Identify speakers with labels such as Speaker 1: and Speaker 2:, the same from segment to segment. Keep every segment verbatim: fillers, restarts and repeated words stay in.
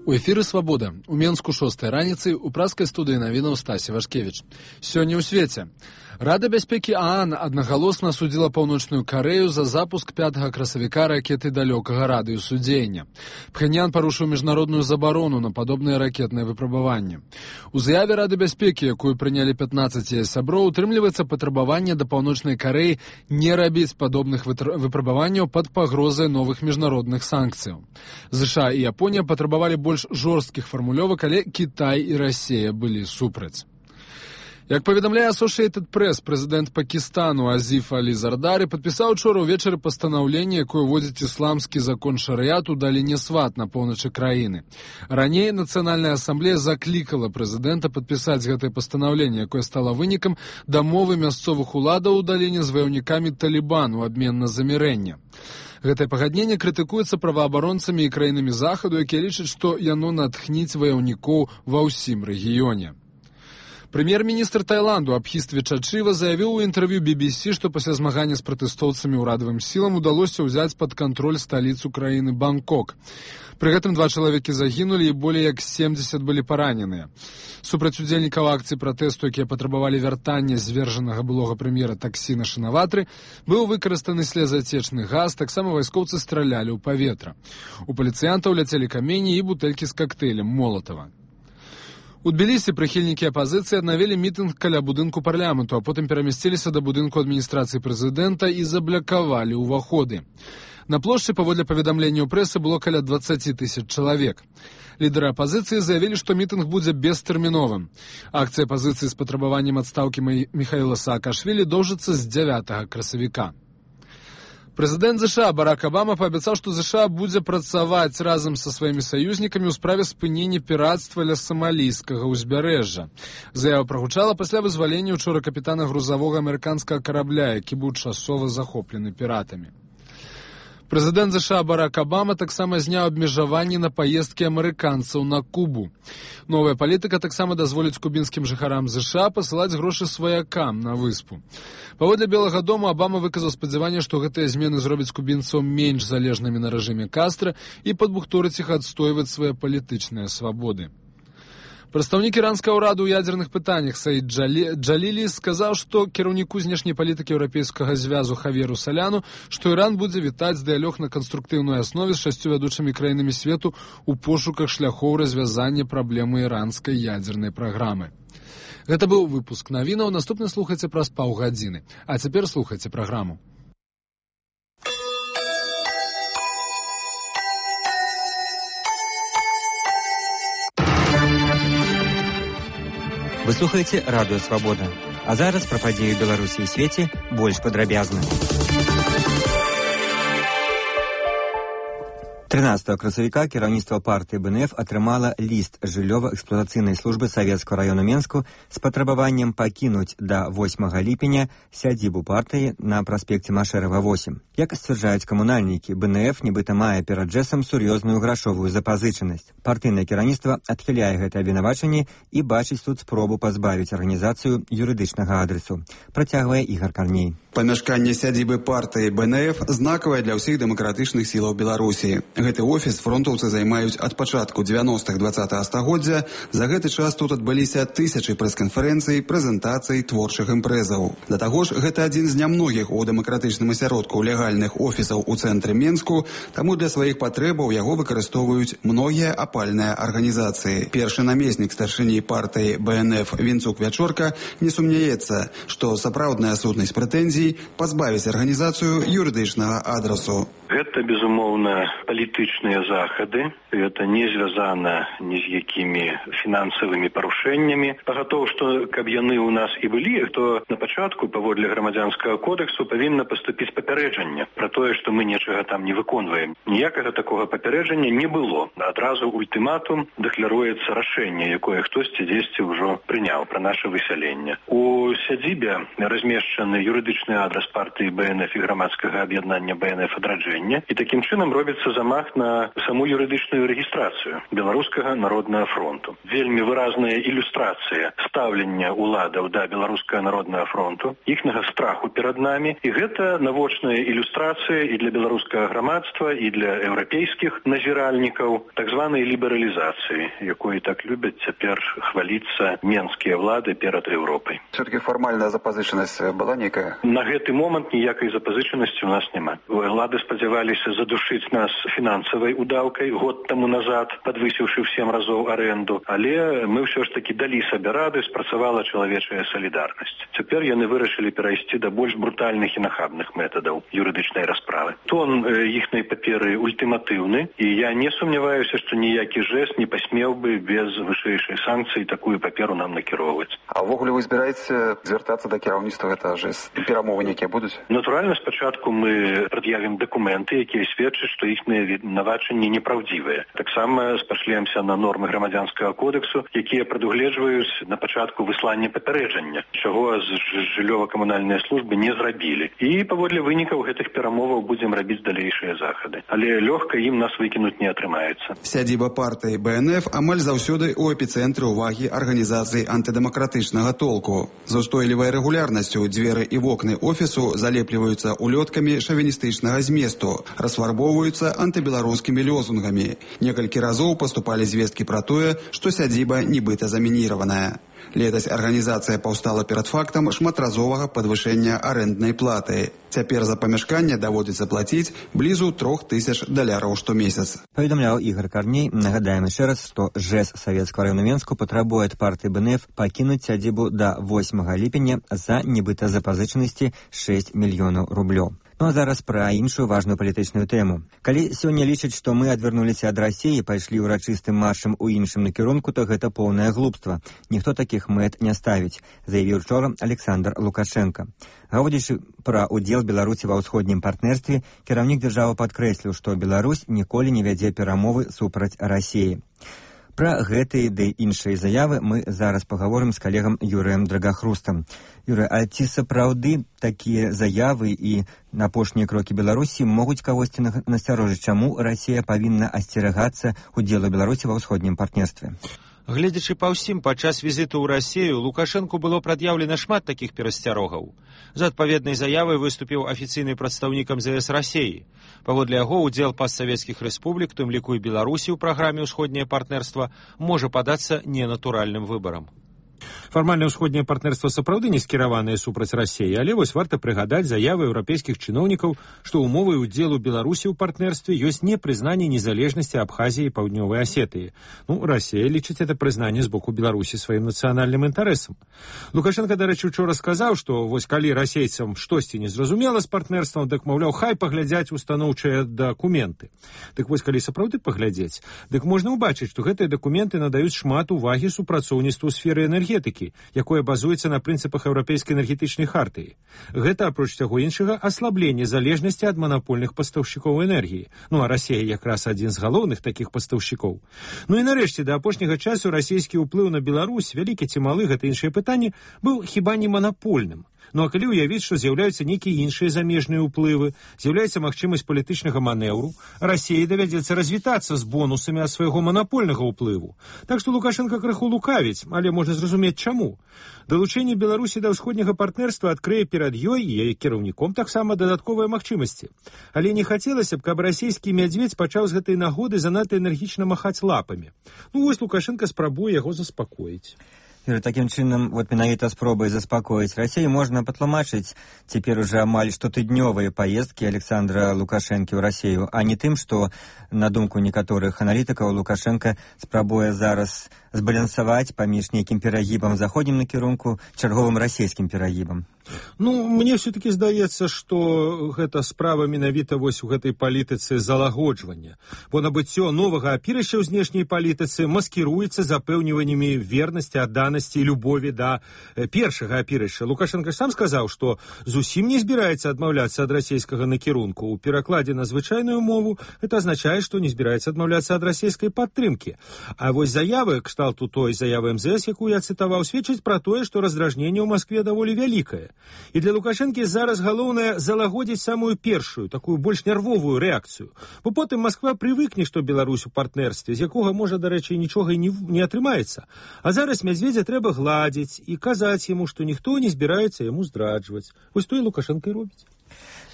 Speaker 1: У эфіры «Свабода». У Менску шостай раніцы ў праскай студыі навінаў Стасі Вашкевіч. Сёння ў свеце. Рада бяспекі ААН аднагалосна асудзіла Паўночную Карэю за запуск пятага красавіка ракеты далёкага радыусу дзеяння. Пхеньян парушыў міжнародную забарону на падобныя ракетныя выпрабаванні. У заяве Рады бяспекі, якую прынялі пятнаццаць яе сяброў, утрымліваецца патрабаванне да Паўночнай Карэі не рабіць падобных выпрабаванняў пад пагрозай новых міжнародных санкцыяў. ЗША і Японія патрабавалі больш жорсткіх фармулёвак, але Кітай і Расія былі супраць. Як паведамляе Associated Press, прэзідэнт Пакістану Азіф Алі Зардары падпісаў учора ўвечары пастанаўленне, якое ўводзіць ісламскі закон шарыят у даліне Сват на поўначы краіны. Раней Нацыянальная асамблея заклікала прэзідэнта падпісаць гэтае пастанаўленне, якое стала вынікам дамовы мясцовых уладаў у даліне з ваяўнікамі Талібан у абмен на замірэнне. Гэтае пагадненне крытыкуецца праваабаронцамі і краінамі Захаду, якія лічаць, што яно натхніць ваяўнікоў ва ўсім рэгіёне. Прэм'ер-міністр Таіланду Абхіст Вічачыва заявіў у інтэрв'ю би би сі, што пасля змагання з пратэстоўцамі ўрадавым сілам удалося ўзяць пад кантроль сталіцу краіны Бангкок. Пры гэтым два чалавекі загінулі і болей як семдзесят былі параненыя. Супраць удзельнікаў акцыі пратэсту, якія патрабавалі вяртання звержанага былога прэм'ера Таксіна Шынаватры, быў выкарыстаны слезацечны газ, таксама вайскоўцы стралялі ў паветра. У паліцыянтаў ляцелі камені і бутэлькі з кактэйлем Молатава. У Тбілісі прыхільнікі апазіцыі аднавілі мітынг каля будынку парламенту, а потым перамясціліся да будынку адміністрацыі прэзідэнта і заблакавалі ўваходы. На плошчы, паводле паведамленняў прэсы, было каля дваццаць тысяч чалавек. Лідары апазіцыі заявілі, што мітынг будзе бестэрміновым. Акцыя апазіцыі з патрабаваннем адстаўкі Міхаіла Саакашвілі доўжыцца з дзявятага красавіка. Прэзідэнт ЗША Барак Абама паабяцаў, што ЗША будзе працаваць разам са сваімі саюзнікамі ў справе спынення пірацтва ля самалійскага ўзбярэжжа. Заява прагучала пасля вызвалення учора капітана грузавога амерыканскага карабля, які быў часова захоплены піратамі. Прэзідэнт ЗША Барак Абама таксама зняў абмежаванні на паездкі амерыканцаў на Кубу. Новая палітыка таксама дазволіць кубінскім жыхарам ЗША пасылаць грошы сваякам на выспу. Паводле Белага дому Абама выказаў спадзяванне, што гэтыя змены зробяць кубінцаў менш залежнымі на рэжыме Кастра і падбухторыць іх адстойваць свае палітычныя свабоды. Прадстаўнік іранскага ўраду ў ядзерных пытаннях Саід Джалі... Джалілі сказаў, што кіраўніку знешняй палітыкі еўрапейскага звязу Хавьеру Саляну, што Іран будзе вітаць дыялог на канструктыўнай аснове з шасцю вядучымі краінамі свету ў пошуках шляхоў развязання праблемы іранскай ядзернай праграмы. Гэта быў выпуск навінаў, наступны слухайце праз паўгадзіны. А цяпер слухайце праграму.
Speaker 2: Вы слухаеце радыё «Свабода». А зараз пра падзеі Беларусі і свеце больш падрабязна. трынаццатага красавіка кіраўніцтва партыі БНФ атрымала ліст жыллёва-эксплуатацыйнай службы Савецкага раёну Менску з патрабаваннем пакінуць да восьмага ліпеня сядзібу партыі на праспекце Машэрава восем. Як сцвярджаюць камунальнікі, БНФ нібыта мае перад джэсам сур'ёзную грашовую запазычанасць. Партыйнае кіраўніцтва адхіляе гэтае абвінавачанне і бачыць тут спробу пазбавіць арганізацыю юрыдычнага адресу. Працягвае Ігар Карней.
Speaker 3: Памяшканне сядзібы партыі БНФ знакавае для ўсіх дэмакратычных сілаў Беларусі. Гэты офіс фронтаўцы займаюць ад пачатку дзевяностых дваццатага стагоддзя. За гэты час тут адбыліся тысячы прэс-канферэнцый, прэзентацый, творчых імпрэзаў. Да таго ж, гэта адзін з нямногіх у дэмакратычным асяродку легальных офісаў у цэнтры Менску, таму для сваіх патрэбаў яго выкарыстоўваюць многія апальныя арганізацыі. Першы намеснік старшыні партыі БНФ Вінцук Вячорка не сумняецца, што сапраўдная сутнасць прэтэнзій пазбавіць арганізацыю юрыдычнага адресу.
Speaker 4: Гэта, безумоўна, палітычныя захады. Гэта не звязана ні з якімі фінансавымі парушэннямі. Пагатоў, што каб яны ў нас і былі, то на пачатку, паводле грамадзянскага кодексу, павінна паступіць папярэджанне пра тое, што мы нечага там не выконваем. Ніякага такога папярэджання не было. Адразу ультыматум дэкларуецца рашэнне, якое хтосьці дзесьці ўжо прыняў пра наша высяленне. У сядзібе размешчаны юрыдычны адрас партыі БНФ і грамадскага аб'яднання БНФ адраджэння. І такім чынам робіцца замах замах на саму юрыдычную рэгістрацыю беларускага народнага фронту. Вельмі выразная ілюстрацыя стаўлення ўладаў да беларускага народнага фронту, іхнага страху перад намі, і гэта навочная ілюстрацыя і для беларускага грамадства, і для еўрапейскіх назіральнікаў так званай лібералізацыі, якой так любяць цяпер хваліцца менскія ўлады перад Еўропай.
Speaker 3: Все-таки фармальная запазычанасць была нейкая?
Speaker 4: На гэты момант ніякай запазычанасці ў нас няма. Улады спадзяваліся задушыць нас фінансавай удаўкай год таму назад, падвысіўшы ў сем разоў арэнду, але мы ўсё ж такі далі сабе рады, спрацавала чалавечая салідарнасць. Цяпер яны вырашылі перайсці да больш брутальных і нахабных метадаў юрыдычнай расправы. Тон іхнай паперы ультыматыўны, і я не сумняваюся, што ніякі жэст не пасмеў бы без вышэйшай санкцыі такую паперу нам накіроўваць.
Speaker 3: А ўвогуле вы збіраеце звяртацца да кіраўніцтва, гэта жэст? Перамовы нейкія будуць?
Speaker 4: Натуральна, спачатку мы прад'явім дакументы, якія сведчаць, што іхныя вінавачанні непраўдзівыя. Таксама спашлемся на нормы грамадзянскага кодексу, якія прадугледжваюць на пачатку выслання папярэджання, чаго з жыллёва-камунальныя службы не зрабілі. І паводле вынікаў гэтых перамоваў будзем рабіць далейшыя захады. Але лёгка ім нас выкінуць не атрымаецца.
Speaker 3: Сядзіба партыі Бэ Эн Эф амаль заўсёды ў эпіцэнтры ўвагі арганізацый антыдэмакратычнага толку. З устойлівай рэгулярнасцю дзверы і вокны офісу залепліваюцца улёткамі шавіністычнага зместу, расфарбоўваюцца антыбеларускімі лёзунгамі. Некалькі разоў паступалі звесткі пра тое, што сядзіба нібыта замініраваная. Летась арганізацыя паўстала перад фактам шматразовага падвышэння арэнднай платы. Цяпер за памяшканне даводзіцца плаціць блізу трох тысяч даляраў штомесяц.
Speaker 2: Паведамляў Ігор Карней. Нагадаем яшчэ раз, што ЖЭС Савецкага району Менску патрабуе ад партыі Бэ Эн Эф пакінуць сядзібу да восьмага ліпеня за нібыта запазычанасці шэсць мільёнаў рублёў. Ну а зараз пра іншую важную палітычную тэму. Калі сёння лічаць, што мы адвярнуліся ад Расіі і пайшлі ўрачыстым маршам у іншым накірунку, то гэта поўнае глупства. Ніхто такіх мэт не ставіць, заявіў учора Александр Лукашенко. Гаворачы пра ўдзел Беларусі ва ўсходнім партнерстве, кіраўнік дзяржавы падкрэсліў, што Беларусь ніколі не вядзе перамовы супраць Расіі. Пра гэтыя ды іншыя заявы мы зараз пагаворым з калегам Юрыем Драгахрустам. Юрый, а ці сапраўды такія заявы і апошнія крокі Беларусі могуць кагосьці насцярожыць, чаму Расія павінна асцерагацца удзелу Беларусі ва ўсходнім партнерстве?
Speaker 5: Гледзячы па ўсім, падчас візіту ў Расію Лукашэнку было прад'яўлена шмат такіх перасцярогаў. За адпаведнай заявай выступіў афіцыйны прадстаўнік эм зэ эс Расіі. Паводле яго, удзел пастсавецкіх рэспублік, тым ліку і Беларусі ў праграме «Усходняе партнерства», можа падацца ненатуральным выбарам. Фармальна ўсходняе партнерства сапраўды не скіраванае супраць Расіі, але вось варта прыгадаць заявы еўрапейскіх чыноўнікаў, што умовай удзелу Беларусі ў партнерстве ёсць не прызнанне незалежнасці Абхазіі і Паўднёвай Асетыі. Ну, Расія лічыць это прызнанне з боку Беларусі сваім нацыянальным інтарэсам. Лукашенко, дарэчы, учора сказаў, што вось калі расейцам штосьці не зразумела з партнерствам, дык, маўляў, хай паглядзяць устаноўчыя дакументы. Дык вось калі сапраўды паглядзець, дык можна ўбачыць, што гэтыя дакументы надаюць шмат увагі супрацоўніцтву ў сферы энергетыкі, якое базуецца на прынцыпах еўрапейскай энергетычнай хартыі. Гэта, апроч таго іншага, аслабленне залежнасці ад манапольных пастаўшчыкоў энергіі. Ну, а Расія якраз адзін з галоўных такіх пастаўшчыкоў. Ну і нарэшце, да апошняга часу расійскі ўплыў на Беларусь, вялікі ці малы, гэта іншае пытанне, быў хіба не манапольным. Ну а калі ўявіць, што з'яўляюцца нейкія іншыя замежныя ўплывы, з'яўляецца магчымасць палітычнага манеўру, Расіі давядзецца развітацца з бонусамі ад свайго манапольнага ўплыву. Так што Лукашенко крыху лукавіць, але можна зразумець чаму. Далучэнне Беларусі да ўсходняга партнерства адкрые перад ёй і яе кіраўніком таксама дадатковыя магчымасці. Але не хацелася б, каб расійскі мядзведзь пачаў з гэтай нагоды занадта энергічна махаць лапамі. Ну вось Лукашенко спрабуе яго заспакоіць.
Speaker 2: Юрий, таким чынам, вот менавіта спробай заспакоіць Расію можна патлумачыць цяпер уже амаль штотыднёвыя паездкі Александра Лукашэнкі ў Расію, а не тым, што, на думку некаторых аналітыкаў, Лукашенко спрабуе зараз збалансаваць паміж нейкім перагібам заходнім накірунку чарговым расійскім перагібам.
Speaker 5: Ну, мне все-таки здаецца, што гэта справа менавіта вось у гэтай палітыцы залагоджвання. Бо набыццё новага апірышча ў знешняй палітыцы маскіруецца запэўніваннямі вернасці, адданасці і любові да першага апірышча. Лукашенко сам сказаў, што зусім не збіраецца адмаўляцца ад расійскага накірунку. У перакладзе на звычайную мову гэта азначае, што не збіраецца адмаўляцца ад расійскай падтрымкі. А вось заявы, кшталту той заявы эм зэ эс, якую я цытаваў, сведчаць пра тое, што раздражненне ў Маскве даволі вялікае. другое. І для Лукашэнкі зараз галоўнае залагодзіць самую першую, такую больш нервовую рэакцыю. Бо потым Масква прывыкне, што Беларусь у партнерстве, з якога, можа, дарэчы, нічога і не, не атрымаецца. А зараз Мядзведзя трэба гладзіць і казаць яму, што ніхто не збіраецца яму здраджваць. Вось то і Лукашэнка і робіць.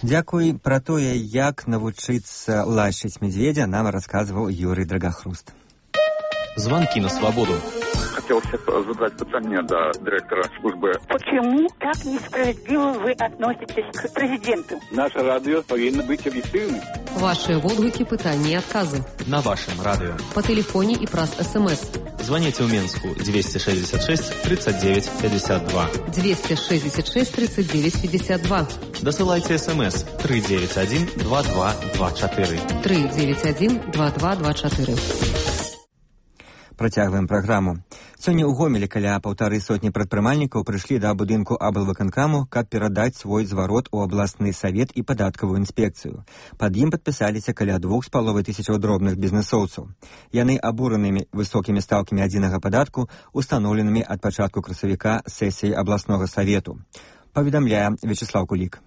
Speaker 2: Дзякуй. Пра тое, як навучыцца лашыць Мядзведзя, нам расказваў Юрий Драгахруст.
Speaker 6: Звонки на свободу.
Speaker 7: Хотелось задать питание до директора службы.
Speaker 8: Почему так несправедливо вы относитесь к президенту?
Speaker 7: Наше радио повинно быть объективным.
Speaker 9: Ваши отклики, питания и отказы.
Speaker 6: На вашем радио.
Speaker 9: По телефоне и праз СМС.
Speaker 6: Звоните в Минску двести шестьдесят шесть тридцать девять пятьдесят два.
Speaker 9: двести шестьдесят шесть тридцать девять пятьдесят два.
Speaker 6: Досылайте СМС три девять один два два два четыре.
Speaker 9: три девять один два два два четыре.
Speaker 2: Працягваем праграму. Сёння ў Гомелі каля паўтары сотні прадпрымальнікаў прыйшлі да будынку аблвыканкаму, каб перадаць свой зварот у абласны савет і падаткавую інспекцыю. Пад ім падпісаліся каля двух з паловай тысячаў дробных бізнэсоўцаў. Яны абуранымі высокімі стаўкамі адзінага падатку, устаноўленымі ад пачатку красавіка сесіі абласнога савету. Паведамляе Вячеслав Кулік.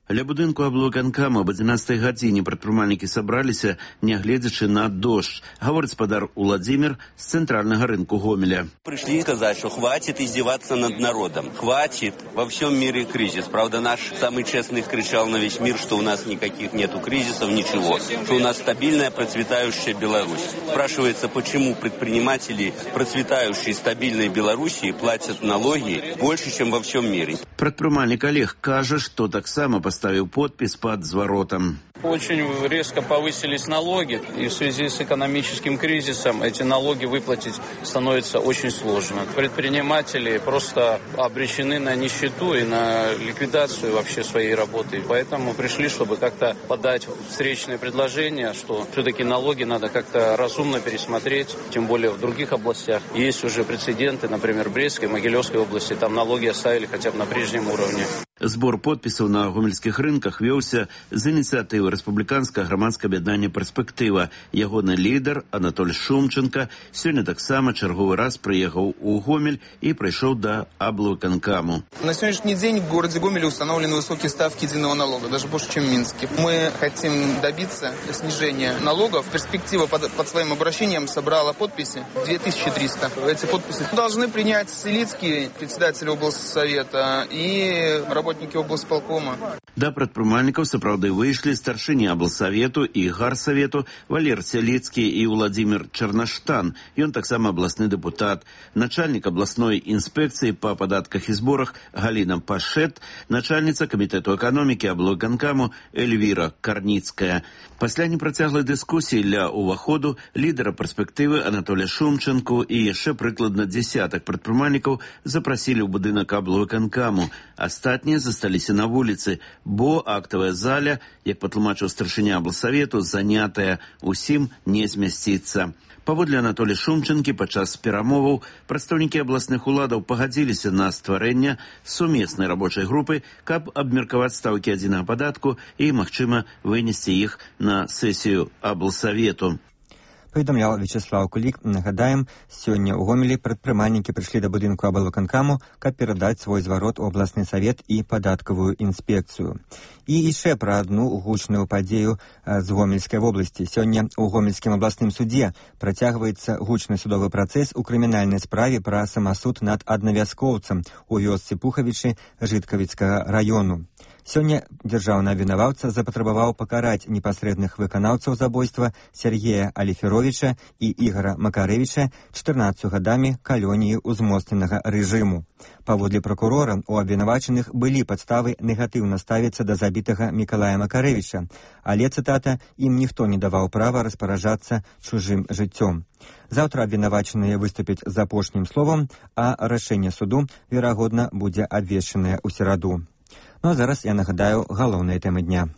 Speaker 10: Ля будынку аблвыканкаму об одиннадцатой гадзіне прадпрымальнікі сабраліся, нягледзячы на дождь, гаворыць спадар Уладзімір з цэнтральнага рынку Гомеля.
Speaker 11: Пришли сказать, что хватит издеваться над народом. Хватит. Во всем мире кризис. Правда, наш самый честный кричал на весь мир, что у нас никаких нету кризисов, ничего. Что у нас стабильная, процветающая Беларусь. Спрашивается, почему предприниматели процветающей, стабильной Белоруссии платят налоги больше, чем во всем мире.
Speaker 10: Прадпрымальнік Олег кажа, што таксама поставил подпись под зворотом.
Speaker 12: Очень резко повысились налоги, и в связи с экономическим кризисом эти налоги выплатить становится очень сложно. Предприниматели просто обречены на нищету и на ликвидацию вообще своей работы. Поэтому пришли, чтобы как-то подать встречное предложение, что все-таки налоги надо как-то разумно пересмотреть, тем более в других областях. Есть уже прецеденты, например, в Брестской, Могилевской области, там налоги оставили хотя бы на прежнем уровне.
Speaker 10: Збор подпісаў на гомельскіх рынках вёўся з ініцыятывы рэспубліканскага грамадскага аб'яднання «Перспектыва». Ягоны лідар Анатоль Шумченко сёння таксама чарговы раз прыехаў у Гомель и пришел до аблвыканкаму.
Speaker 13: На сегодняшний день в городе Гомеле установлены высокие ставки единого налога, даже больше, чем в Минске. Мы хотим добиться снижения налогов. Перспектива под, под своим обращением собрала подписи две тысячи триста. Эти подписи должны принять Селицкий, председатель облсовета, и работники облсполкома.
Speaker 10: Да прадпрымальнікаў сапраўды выйшлі старшыні аблсавету і гарсавету Валер Селицкі і Владимир Чернаштан. Ён таксама абласны дэпутат. Начальник абласной інспекцыі па падатках і зборах Галіна Пашет, начальніца камітэту эканомікі аблвыканкаму Эльвіра Карніцкая. Пасля непрацяглай дыскусіі ля ўваходу лідара перспектывы Анатоля Шумченко і яшчэ прыкладна десятак прадпрымальнікаў запрасілі ў будынак аблвыканкаму. Астатнія засталіся на вуліцы, бо актавая заля, як патлумачыў старшыня аблсавету, занятая, усім не змясціцца. Паводле Анатолія Шумченкі падчас перамоваў прадстаўнікі абласных уладаў пагадзіліся на стварэнне сумеснай рабочай групы, каб абмеркаваць стаўкі адзінага падатку і, магчыма, вынесці іх на сесію аблсавету.
Speaker 2: Паведамляў Вячеслав Кулік. Нагадаем, сёння ў Гомелі прадпрымальнікі прыйшлі да будынку аблвыканкаму, каб перадаць свой зварот у абласны савет і падаткавую інспекцыю. І яшчэ пра адну гучную падзею з Гомельскай вобласці. Сёння ў Гомельскім абласным судзе працягваецца гучны судовы працэс у крымінальнай справе пра самасуд над аднавяскоўцам у вёсцы Пухавічы Жыткавіцкага раёну. Сёння дзяржаўны абвінаваўца запатрабаваў пакараць непасрэдных выканаўцаў забойства Сергея Аліферовіча і Ігора Макарэвіча чатырнаццацю гадамі калоніі ўзмоцненага рэжыму. Паводле пракурора, у абвінавачаных былі падставы негатыўна ставіцца да забітага Мікалая Макарэвіча, але, цытата, ім ніхто не даваў права распараджацца чужым жыццём. Заўтра абвінавачаныя выступяць з апошнім словам, а рашэнне суду, верагодна, будзе абвешчанае ў сераду. Ну а зараз я нагадаю галоўныя тэмы дня.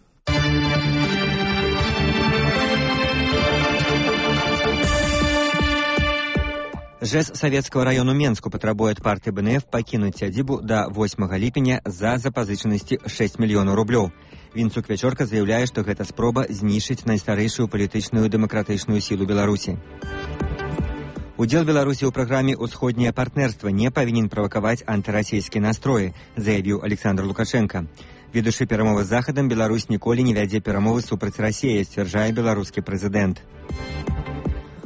Speaker 2: ЖЭС Савецкого району Менску патрабуе ад партыі БНФ пакінуць сядзібу да восьмага ліпеня за запазычанасці шэсць мільёнаў рублёў. Вінцук Вячорка заяўляе, што гэта спроба знішчыць найстарэйшую палітычную дэмакратычную сілу Беларусі. Удзел Беларусі ў праграме «Усходняе партнерство» не павінен правакаваць антырасійскія настроі, заявіў Александр Лукашенко. Ведучы перамовы з Захадам, Беларусь ніколі не вядзе перамовы супраць Расіі, сцвярджае беларускі прэзідэнт.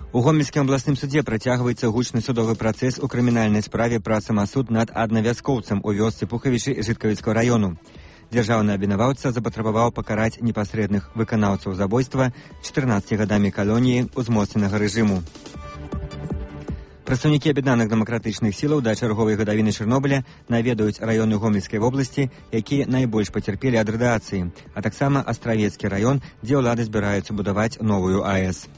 Speaker 2: У Гомельскім абласным судзе працягваецца гучны судовы працэс у крымінальнай справе пра самасуд над аднавяскоўцам у вёсцы Пухавічы Жыткавіцкага району. Дзяржаўны абвінаваўца запатрабаваў пакараць непасрэдных выканаўцаў забойства чатырнаццаці гадамі калоніі ўзмоцненага рэжыму. Прадстаўнікі аб'яднаных дэмакратычных сілаў да чарговай гадавіны Чарнобыля наведаюць раёны Гомельскай вобласці, якія найбольш пацярпелі ад радыяцыі, а таксама Астравецкі раён, дзе ўлады збіраюцца будаваць новую АЭС.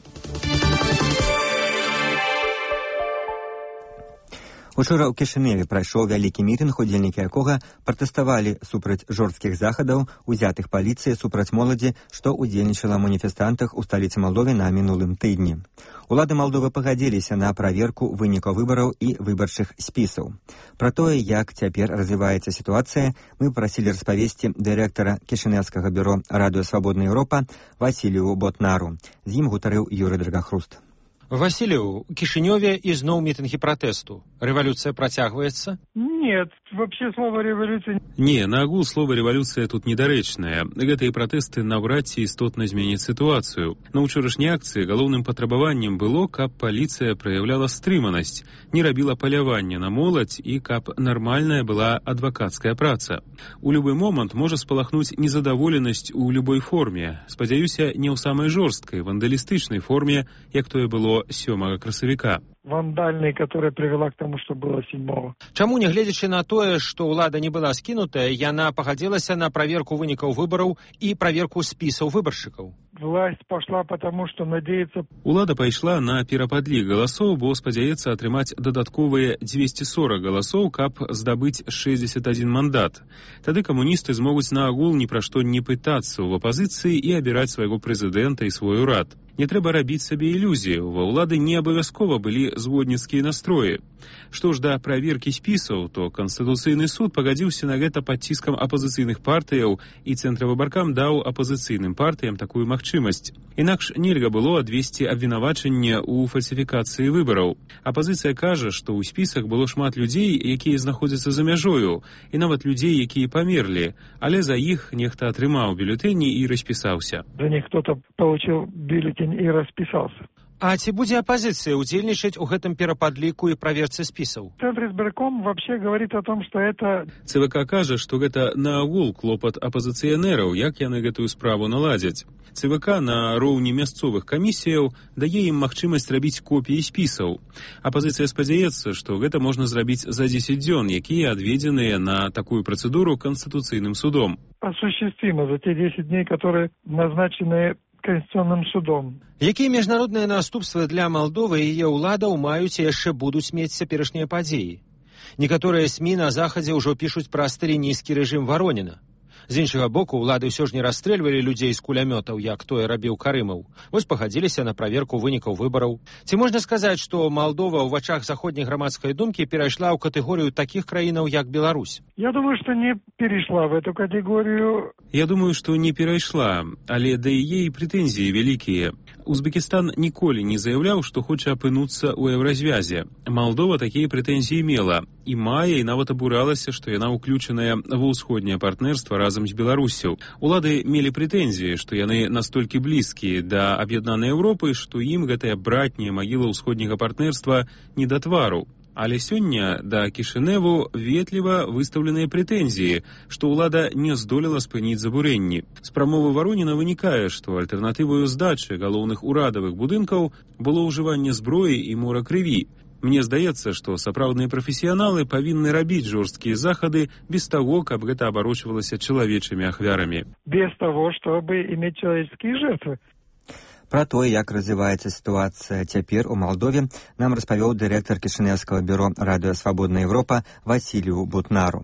Speaker 2: Учора ў Кішыневе прайшоў вялікі мітынг, удзельнікі якога пратэставалі супраць жорсткіх захадаў, узятых паліцыяй супраць моладзі, што ўдзельнічала ў маніфестантах у сталіцы Малдовы на мінулым тыдні. Улады Малдовы пагадзіліся на праверку вынікаў выбараў і выбарчых спісаў. Пра тое, як цяпер развіваецца сітуацыя, мы прасілі распавесці дырэктара Кішыневскага бюро «Радыё Свабодная Еўропа» Васілію Ботнару. З ім гутарыў Юрый Драгахруст.
Speaker 5: Василию, у Кишиневе изноў мітынгі пратэсту. Рэвалюцыя працягваецца?
Speaker 14: Нет, вообще слово революция...
Speaker 15: Не, наогул слово революция тут недарэчнае. Гэтыя пратэсты наўрад ці істотна зменяць сітуацыю. На ўчорашняй акцыі галоўным патрабаваннем было, каб паліцыя праяўляла стрыманасць, не рабіла палявання на моладзь і каб нармальная была адвакацкая праца. У любы момант можа спалахнуць незадаволенасць у любой форме. Спадзяюся, не ў самай жорсткай, вандалістычнай форме, як тое было сёмага красавіка.
Speaker 14: Вандальной, которая привела к тому, что было седьмого.
Speaker 5: Чаму, нягледзячы на тое, што ўлада не была скінутая, яна пагадзілася на праверку вынікаў выбараў і праверку спісаў выбаршчыкаў?
Speaker 14: Власть пошла потому, что надеется...
Speaker 15: Улада пайшла на перападлік галасоў, бо спадзяецца атрымаць дадатковыя дзвесце сорак галасоў, каб здабыць шэсцьдзесят адзін мандат. Тады камуністы змогуць наогул ні пра што не пытацца ў апазіцыі і абіраць свайго прэзідэнта і свой урад. Не трэба рабіць сабе ілюзію, ва ўлады не абавязкова былі зводніцкія настроі. Што ж да праверкі спісаў, то Канстытуцыйны суд пагадзіўся на гэта пад ціскам апазіцыйных партыяў, і цэнтравыбаркам даў апазіцыйным партыям такую магчымасць. Інакш нельга было адвесці абвінавачанне ў фальсіфікацыі выбараў. Апазіцыя кажа, што ў спісах было шмат людзей, якія знаходзяцца за мяжою, і нават людзей, якія памерлі, але за іх нехта атрымаў бюлетэні і распісаўся.
Speaker 14: За них кто-то получил бюллетень и расписался.
Speaker 5: А ці будзе апозіцыя удзельнічаць у гэтым перападліку і праверцы спісаў?
Speaker 14: Центр избирком вообще говорит о том, что это...
Speaker 15: ЦВК кажа, што гэта наогул клопат апозіцыянераў, як яны гэтую справу наладзяць. ЦВК на роўні мясцовых камісіяў дае ім магчымасць рабіць копіі спісаў. Апозіцыя спадзяецца, што гэта можна зрабіць за дзесяць дзён, якія адведзеныя на такую працэдуру Канстытуцыйным судом.
Speaker 14: Осуществимо за те десять дней, которые назначены Конституционным судом.
Speaker 5: Якія міжнародныя наступствы для Малдовы і яе ўладаў маюць і яшчэ будуць мець цяперашнія падзеі? Некаторыя СМІ на Захадзе ўжо пішуць пра сталінісцкі рэжым Вароніна. З іншага боку, ўлады ўсё ж не расстрэльвалі людзей з кулямётаў, як тое рабіў Карымаў. Вось пагадзіліся на праверку вынікаў выбараў. Ці можна сказаць, што Малдова ў вачах заходняй грамадскай думкі перайшла ў катэгорыю такіх краінаў, як Беларусь?
Speaker 14: Я думаю, что не перешла в эту категорию.
Speaker 15: Я думаю, што не перайшла, але да яе і прэтэнзіі вялікія. Узбекістан ніколі не заяўляў, што хоча апынуцца ў еўразвязе. Малдова такія прэтэнзіі мела і мае, і нават абуралася, што яна ўключаная ва ўсходняе партнерства разам з Беларусю. Улады мелі прэтэнзіі, што яны настолькі блізкія да аб'яднанай Еўропы, што ім гэтая братняя магіла ўсходняга партнерства не да твару. Але сёння да Кішыневу ветліва выстаўленыя прэтэнзіі, што ўлада не здолела спыніць забурэнні. З прамовы Вароніна вынікае, што альтэрнатываю здачы галоўных урадавых будынкаў было ўжыванне зброі і мора крыві. Мне здаецца, што сапраўдныя прафесіяналы павінны рабіць жорсткія захады без таго, каб гэта абарочвалася чалавечымі ахвярамі.
Speaker 14: Без таго, чтобы иметь человеческие жертвы.
Speaker 2: Пра тое, як развіваецца сітуацыя цяпер у Малдове, нам распавёў дырэктар Кішыневскага бюро «Радыё Свабодная Еўропа» Васілію Ботнару.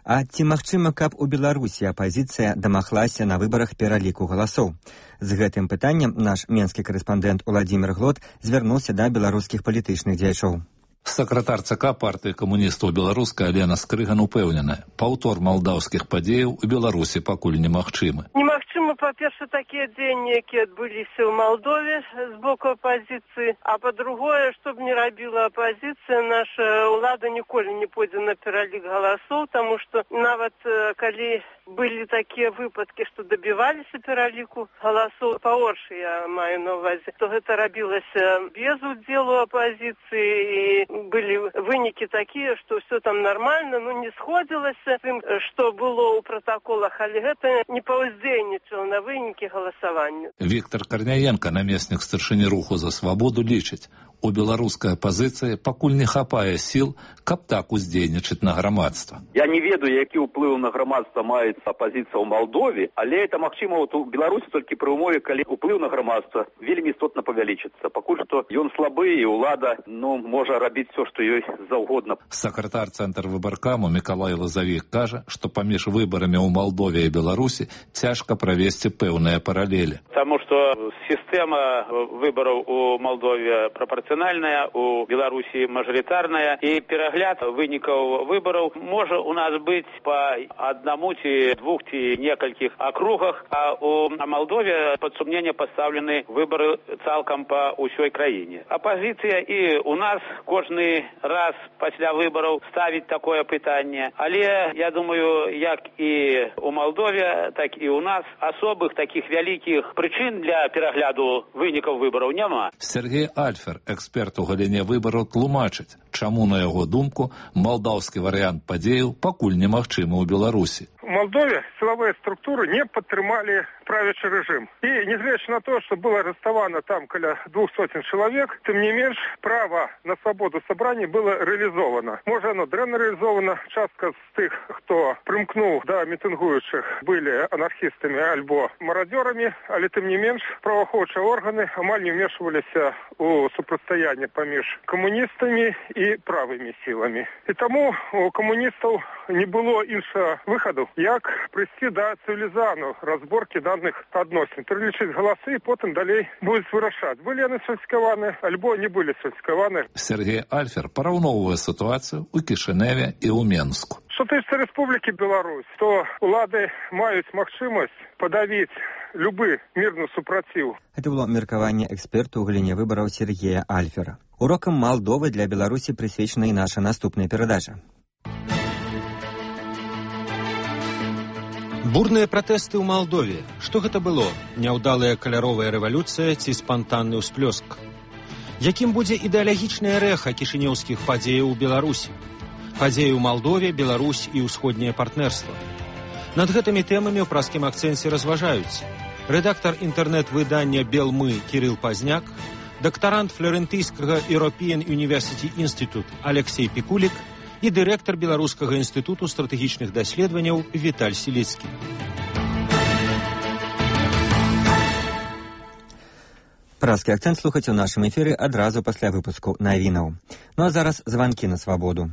Speaker 2: А ці магчыма, каб у Беларусі апазіцыя дамаглася на выбарах пераліку галасоў? З гэтым пытаннем наш менскі карэспандэнт Уладзімір Глот звярнуўся да беларускіх палітычных дзеячоў.
Speaker 16: Сакратар ЦК партыі камуністаў беларускай Алена Скрыган упэўнена, паўтор малдаўскіх падзеяў у Беларусі пакуль немагчымы.
Speaker 8: Немагчыма
Speaker 17: па-першае, такія дзеянні, якія адбыліся ў Малдове з боку апазіцыі, а па-другое, што б не рабіла апазіцыя, наша ўлада ніколі не пойдзе на пералік галасоў, таму што нават калі былі такія выпадкі, што дабіваліся пераліку галасоў, па-горшы я маю на ўвазе, то гэта рабілася без удзелу апазіцыі, і былі вынікі такія, што ўсё там нармальна, ну не сходзілася тым, што было ў пратаколах, але гэта не паўздзейнічала на вынікі галасавання.
Speaker 16: Віктор Карняенко, намеснік старшыні руху за свабоду, лічыць, у беларускай апазіцыі пакуль не хапае сіл, каб так уздзейнічаць на грамадства.
Speaker 7: Я не ведаю, які ўплыў на грамадства мае апазіцыя ў Малдове, але это магчыма вот у Беларусі толькі пры ўмове, калі ўплыў на грамадства вельмі істотна павялічыцца. Пакуль што ён слабы, і ўлада ну, можа рабіць все, што ёй заўгодна.
Speaker 16: Сакратар цэнтр выбаркаму Мікалай Лазавік кажа, што паміж выбарамі ў Малдове і Беларусі цяжка правесці пэўныя паралелі.
Speaker 18: Таму што сістэма выбараў у Малдове прапорцыянальная, у Беларусі мажарытарная, і перагляд вынікаў выбараў можа у нас быць па аднаму ці двух ці некалькіх акругах, а у Малдове пад сумненне пастаўлены выбары цалкам па ўсёй краіне. Апазіцыя і у нас кожны раз пасля выбараў ставіць такое пытанне, але я думаю, як і у Малдове, так і у нас асобых такіх вялікіх прычын для перагляду вынікаў выбараў няма.
Speaker 16: Сергей Альфер, эксперт у галіне выбараў, тлумачыць, чаму, на яго думку, малдаўскі варыянт падзеяў пакуль немагчымы ў Беларусі.
Speaker 14: В Молдове силовые структуры не подтримали правящий режим. И, несмотря на то, что было арестовано там около двух сотен человек, тем не меньше право на свободу собраний было реализовано. Может, оно древно реализовано. Частка з тих, кто примкнул до митингующих, были анархистами альбо мародерами, але тем не меньше правоохоўчыя органы амаль не вмешивались у супрацьстаяние поміж коммунистами и правыми силами. И тому у коммунистов не было іншого выходу, як прийти до цивілізану розборки даних адносин, перелічити голоси і потім далі будуть вирішати, були вони сфальсифіковані, або не були сфальсифіковані.
Speaker 16: Сергей Альфер порівнює ситуацію у Кишиневі і у Менску.
Speaker 14: Що тисяча Республіки Білорусь, то влади мають можливість подавити любы мирны супротив.
Speaker 2: Это было меркаванне эксперту ў галіне выбараў Сергея Альфера. Урокам Малдовы для Беларусі прысвечана і наша наступная перадача.
Speaker 5: Бурныя пратэсты ў Малдове. Што гэта было? Няўдалая каляровая рэвалюцыя ці спантанны ўсплёск? Якім будзе ідэалагічнае рэха кішынёўскіх падзеяў у Беларусі? Падзеі ў Малдове, Беларусь і ўсходняе партнерства. Над гэтымі тэмамі ў праскім акцэнце разважаюць рэдактар інтэрнэт-выдання «Белмы» Кірыл Пазняк, дактарант флорентыйскага European University Institute Алексей Пікулік і дырэктар Беларускага інстытуту стратэгічных даследаванняў Віталь Селіцкі.
Speaker 2: Праскі акцэнт слухаць у нашым эфіры адразу пасля выпуску навінаў. Ну а зараз званкі на свабоду.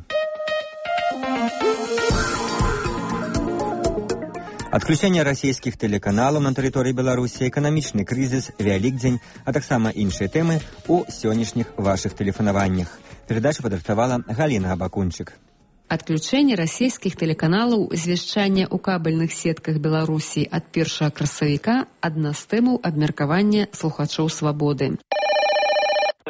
Speaker 2: Адключэнне расійскіх тэлеканалаў на тэрыторыі Беларусі, эканамічны крызіс, Вялікдзень, а таксама іншыя тэмы ў сённяшніх вашых тэлефанаваннях. Перадачу падрыхтавала Галіна Абакунчык.
Speaker 9: Адключэнне расійскіх тэлеканалаў, звяшчанне ў кабельных сетках Беларусі ад першага красавіка – адна з тэмаў абмеркавання слухачоў свабоды.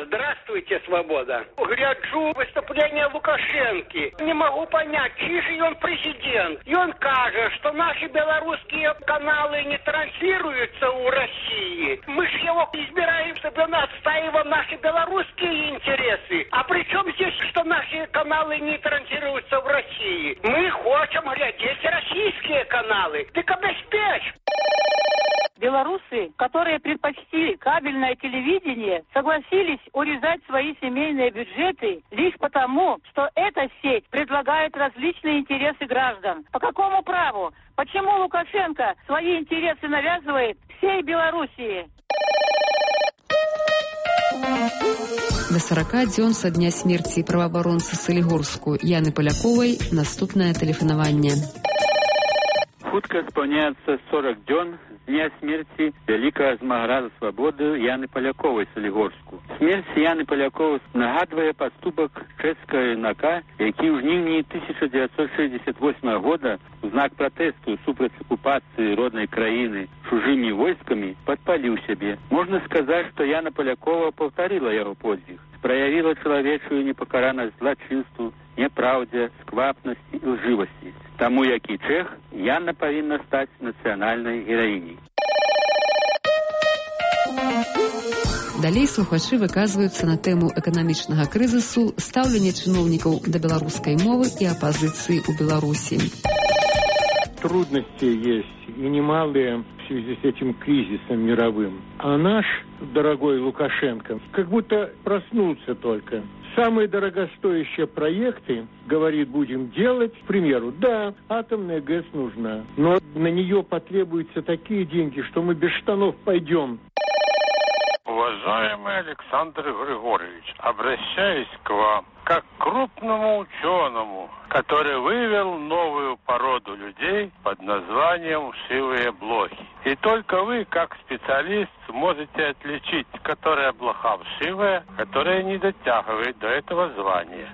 Speaker 19: Здравствуйте, свобода. Гляджу выступление Лукашенки. Не могу понять, чьи же он президент. И он кажет, что наши белорусские каналы не транслируются у России. Мы же его избираем, чтобы он отстаивал наши белорусские интересы. А при чем здесь, что наши каналы не транслируются в России? Мы хотим глядеть российские каналы. Ты обеспечь!
Speaker 8: Белорусы, которые предпочли кабельное телевидение, согласились урезать свои семейные бюджеты лишь потому, что эта сеть предлагает различные интересы граждан. По какому праву? Почему Лукашенко свои интересы навязывает всей Белоруссии?
Speaker 9: До сорока дзён са дня смерці праваабаронцы Салігорску Яны Паляковай наступнае тэлефанаванне.
Speaker 20: Хутка спаўняецца сорок дзён з дня смерці вялікага змагара за свабоду Яны Паляковай Салігорску. Смерць Яны Паляковай нагадвае паступак чэшскага юнака, які ў жніўні тысяча дзевяцьсот шэсцьдзесят восьмага года у знак пратэсту супраць акупацыі роднай краіны чужымі войскамі падпаліў сябе. Можна сказаць, што Яна Палякова паўтарыла яго подзвіг, праявіла чалавечую непакаранасць злачынству, няпраўдзе, сквапнасці і лжывасці. Таму, як і чэх, Яна павінна стаць нацыянальнай гераіняй.
Speaker 9: Далей слухачы выказваюцца на тэму эканамічнага крызісу, стаўлення чыноўнікаў да беларускай мовы і апазіцыі ў Беларусі.
Speaker 21: Трудности есть, и немалые в связи с этим кризисом мировым. А наш дорогой Лукашенко как будто проснулся только. Самые дорогостоящие проекты, говорит, будем делать. К примеру, да, атомная ГЭС нужна, но на нее потребуются такие деньги, что мы без штанов пойдем.
Speaker 22: Уважаемый Александр Григорьевич, обращаюсь к вам как к крупному ученому, который вывел новую породу людей под названием вшивые блохи. И только вы, как специалист, сможете отличить, которая блоха вшивая, которая не дотягивает до этого звания.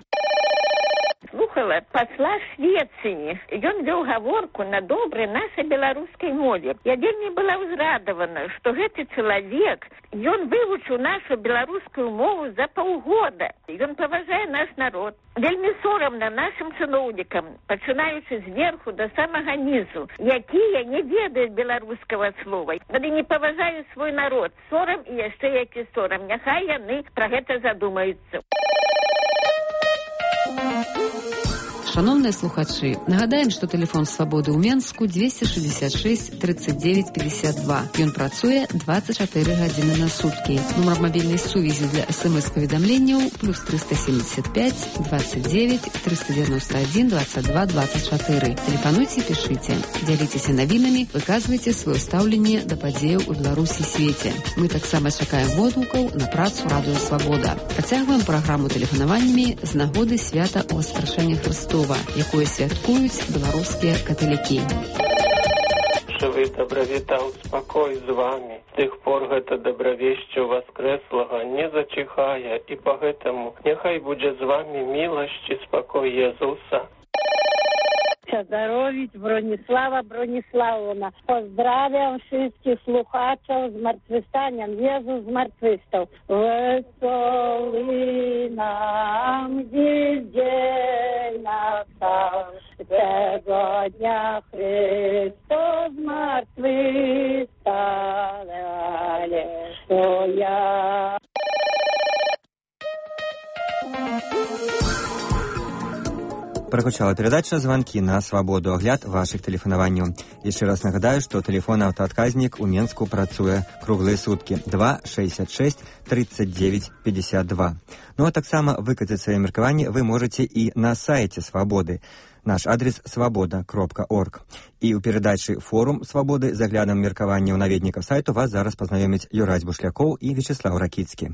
Speaker 23: Слухала посла Швеции. Ён вёў гаворку на добрай нашай беларускай мове. Я вельмі была ўзрадавана, што гэты чалавек, ён вывучыў нашу беларускую мову за паўгода. Ён паважае наш народ. Вельмі сорамна нашым чыноўнікам, пачынаючы зверху да самага нізу, якія не ведаюць беларускага слова. Яны не паважаюць свой народ. Сорам і яшчэ які сорам. Няхай яны пра гэта задумаюцца.
Speaker 9: Шановныя слухачы, нагадаем, што тэлефон свабоды ў Менску двести шестьдесят шесть тридцать девять пятьдесят два. Ён працуе двадцать четыре гадзіны на суткі. Нумар мабільнай сувязі для смс-паведамленняў плюс триста семьдесят пять двадцать девять триста девяносто один двадцать два двадцать четыре. Тэлефануйце, пішыце, дзяліцеся навінамі, выказвайце сваё стаўленне да падзеяў у Беларусі і свеце. Мы таксама чакаем водгукаў на працу Радыё Свабода. Працягваем праграму тэлефанаваннямі з нагоды свята Воскрэсення Христова, якое святкуюць беларускія каталікі.
Speaker 24: Жывы дабравітаў спакой з вамі. З тых пор гэта дабравешча воскрэслага не зачыхае, і па гэтаму няхай будзе з вамі міласць і спакой Езуса.
Speaker 8: Здоровить Бронислава Брониславовна. Pozdrawiam wszystkich słuchaczów z zmartwychwstaniem. Jezus zmartwychwstał. Wesoły nam dziś dzień nastał. Tego dnia Chrystus zmartwychwstał. Alleluja.
Speaker 2: Прагучала перадача «Званкі на свабоду», агляд вашых тэлефанаванняў. Яшчэ раз нагадаю, што тэлефон аўтаадказнік у Менску працуе круглыя суткі два шестьдесят шесть тридцать девять пятьдесят два. Ну а таксама выказаць свае меркаванні вы можаце і на сайце «Свабоды». Наш адрес свабода кропка орг. І ў перадачы «Форум свабоды» з аглядам меркаванняў наведнікаў сайту вас зараз пазнаёмяць Юрась Бушлякоў і Вячеслав Ракіцкі.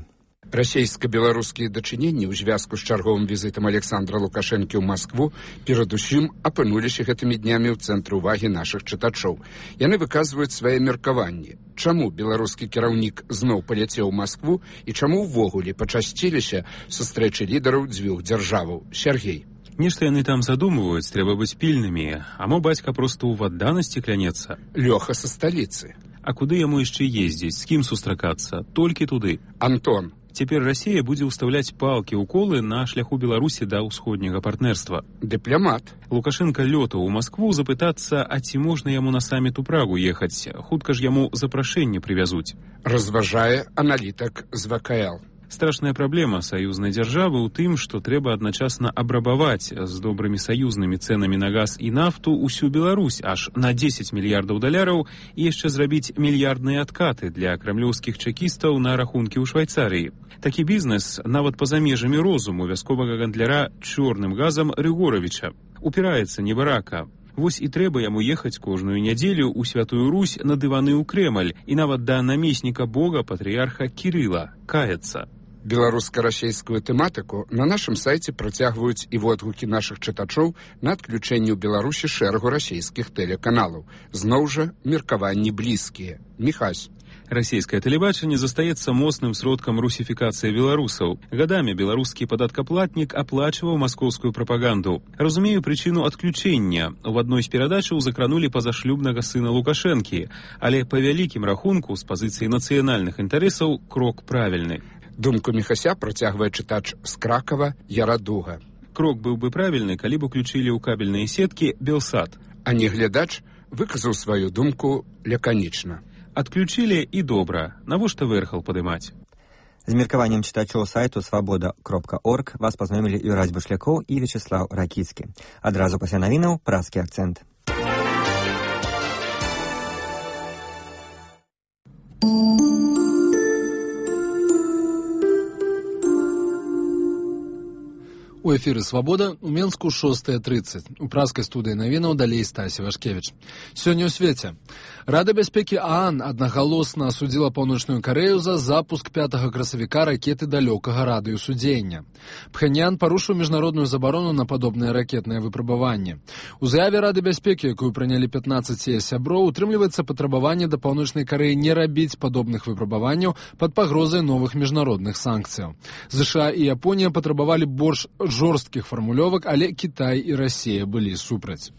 Speaker 25: Расійска-беларускія дачыненні ў звязку з чарговым візітам Александра Лукашэнкі ў Маскву перадусім апынуліся гэтымі днямі ў цэнтры ўвагі нашых чытачоў. Яны выказваюць свае меркаванні. Чаму беларускі кіраўнік зноў паляцеў у Маскву і чаму ўвогуле пачасціліся сустрэчы лідараў дзвюх дзяржаваў? Сергей.
Speaker 15: Нешта яны там задумываюць, трэба быць пільнымі, а мо бацька проста ў адданасці клянецца.
Speaker 25: Лёха са сталіцы.
Speaker 15: А куды яму яшчэ ездзіць, з кім сустракацца? Толькі туды.
Speaker 25: Антон.
Speaker 15: Цяпер Расія будзе ўстаўляць палкі-уколы на шляху Беларусі да ўсходняга партнерства.
Speaker 25: Дыпламат.
Speaker 15: Лукашенка лётаў у Маскву запытацца, а ці можна яму на саміт у Прагу ехаць. Хутка ж яму запрашэнне прывязуць.
Speaker 25: Разважае аналітык з вэ ка эл.
Speaker 15: Страшная праблема саюзнай дзяржавы ў тым, што трэба адначасна абрабаваць з добрымі саюзнымі цэнамі на газ і нафту ўсю Беларусь аж на дзесяць мільярдаў даляраў і яшчэ зрабіць мільярдныя адкаты для крамлёўскіх чэкістаў на рахункі ў Швайцарыі. Такі бізнес нават па-за межамі розуму вясковага гандляра чорным газам Рыгоравіча. Упіраецца небарака. Вось і трэба яму ехаць кожную нядзелю ў Святую Русь на дываны ў Крэмль і нават да намесніка Бога патрыярха Кірыла каяцца.
Speaker 25: Беларуска-расейскую тэматыку на нашым сайце працягваюць і водгукі нашых чытачоў на адключэнне ў Беларусі шэрагу расійскіх тэлеканалаў. Зноў жа, меркаванні блізкія. Міхась.
Speaker 15: Расійскае тэлебачанне застаецца моцным сродкам русіфікацыі беларусаў. Гадамі беларускі падаткаплатнік аплачваў маскоўскую прапаганду. Разумею прычыну адключэння. У адной з перадачаў закранулі пазашлюбнага сына Лукашэнкі, але па вялікім рахунку з пазіцыі нацыянальных інтарэсаў крок правільны.
Speaker 25: Думку Міхася працягвае чытач з Кракава Ярадуга.
Speaker 15: Крок быў бы правільны, калі б уключылі ў кабельныя сеткі Белсат.
Speaker 25: А не глядач выказаў сваю думку лаканічна.
Speaker 15: Адключылі і добра. Навошта вэрхал падымаць?
Speaker 2: З меркаваннем чытачоў сайту свабода кропка орг вас пазнаёмілі Юрась Бушлякоў і Вячеслаў Ракіцкі. Адразу пасля навінаў праскі акцэнт.
Speaker 1: У эфіры «Свабода» у Менску шостая тридцать. У праскай студыі навінаў далей Стасі Вашкевіч. Сёння ў свеце. Рада бяспекі ААН аднагалосна асудзіла Паўночную Карэю за запуск пятага красавіка ракеты далёкага радыусу дзеяння. Пхеньян парушыў міжнародную забарону на падобныя ракетныя выпрабаванні. У заяве Рады бяспекі, якую прынялі пятнаццаць яе сяброў, утрымліваецца патрабаванне да Паўночнай Карэі не рабіць падобных выпрабаванняў пад пагрозай новых міжнародных санкцыяў. ЗША і Японія патрабавалі больш жорсткіх фармулёвак, але Кітай і Расія былі супраць.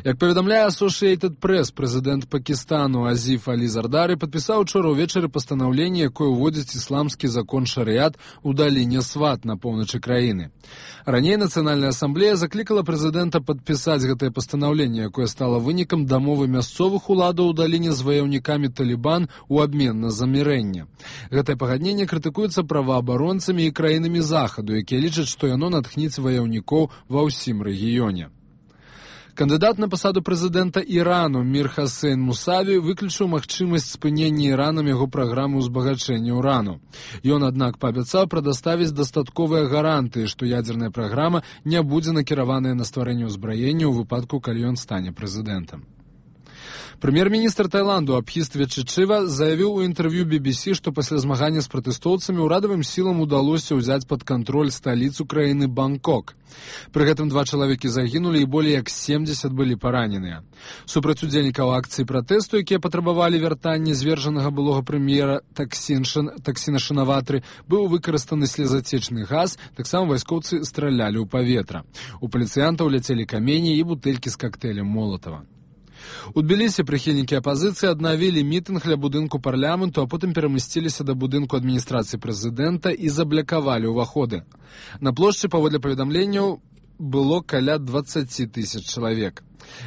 Speaker 1: Як паведамляе Associated Press, прэзідэнт Пакістану Азіф Алі Зардары падпісаў учора ўвечары пастанаўленне, якое ўводзіць ісламскі закон шарыят у даліне Сват на поўначы краіны. Раней Нацыянальная асамблея заклікала прэзідэнта падпісаць гэтае пастанаўленне, якое стала вынікам дамовы мясцовых уладаў у даліне з ваяўнікамі Талібан у абмен на замірэнне. Гэтае пагадненне крытыкуецца праваабаронцамі і краінамі Захаду, якія лічаць, што яно натхніць ваяўнікоў ва ўсім рэгіёне. Кандыдат на пасаду прэзідэнта Ірану Мір Хасейн Мусаві выключыў магчымасць спынення Іранам яго праграмы ўзбагачэння ўрану. Ён, аднак, паабяцаў прадаставіць дастатковыя гарантыі, што ядзерная праграма не будзе накіраваная на стварэнне ўзбраення ў выпадку, калі ён стане прэзідэнтам. Прэм'ер-міністр Таіланду Абхіст Веччычыва заявіў у інтэрв'ю би би сі, што пасля змагання з пратэстоўцамі ўрадавым сілам удалося ўзяць пад кантроль сталіцу краіны Бангкок. Пры гэтым два чалавекі загінулі і болей як семдзесят былі параненыя. Супраць удзельнікаў акцыі пратэсту, якія патрабавалі вяртання звержанага былога прэм'ера Таксіна Шинаватры, быў выкарыстаны слезацечны газ, таксама вайскоўцы стралялі ў паветра. У паліцыянтаў ляцелі камені і бутэлькі з кактэйлем Молатава. У Тбілісі прыхільнікі апазіцыі аднавілі мітынг ля будынку парламенту, а потым перамясціліся да будынку адміністрацыі прэзідэнта і заблякавалі ўваходы. На плошчы, паводле паведамленняў, было каля дваццаць тысяч чалавек.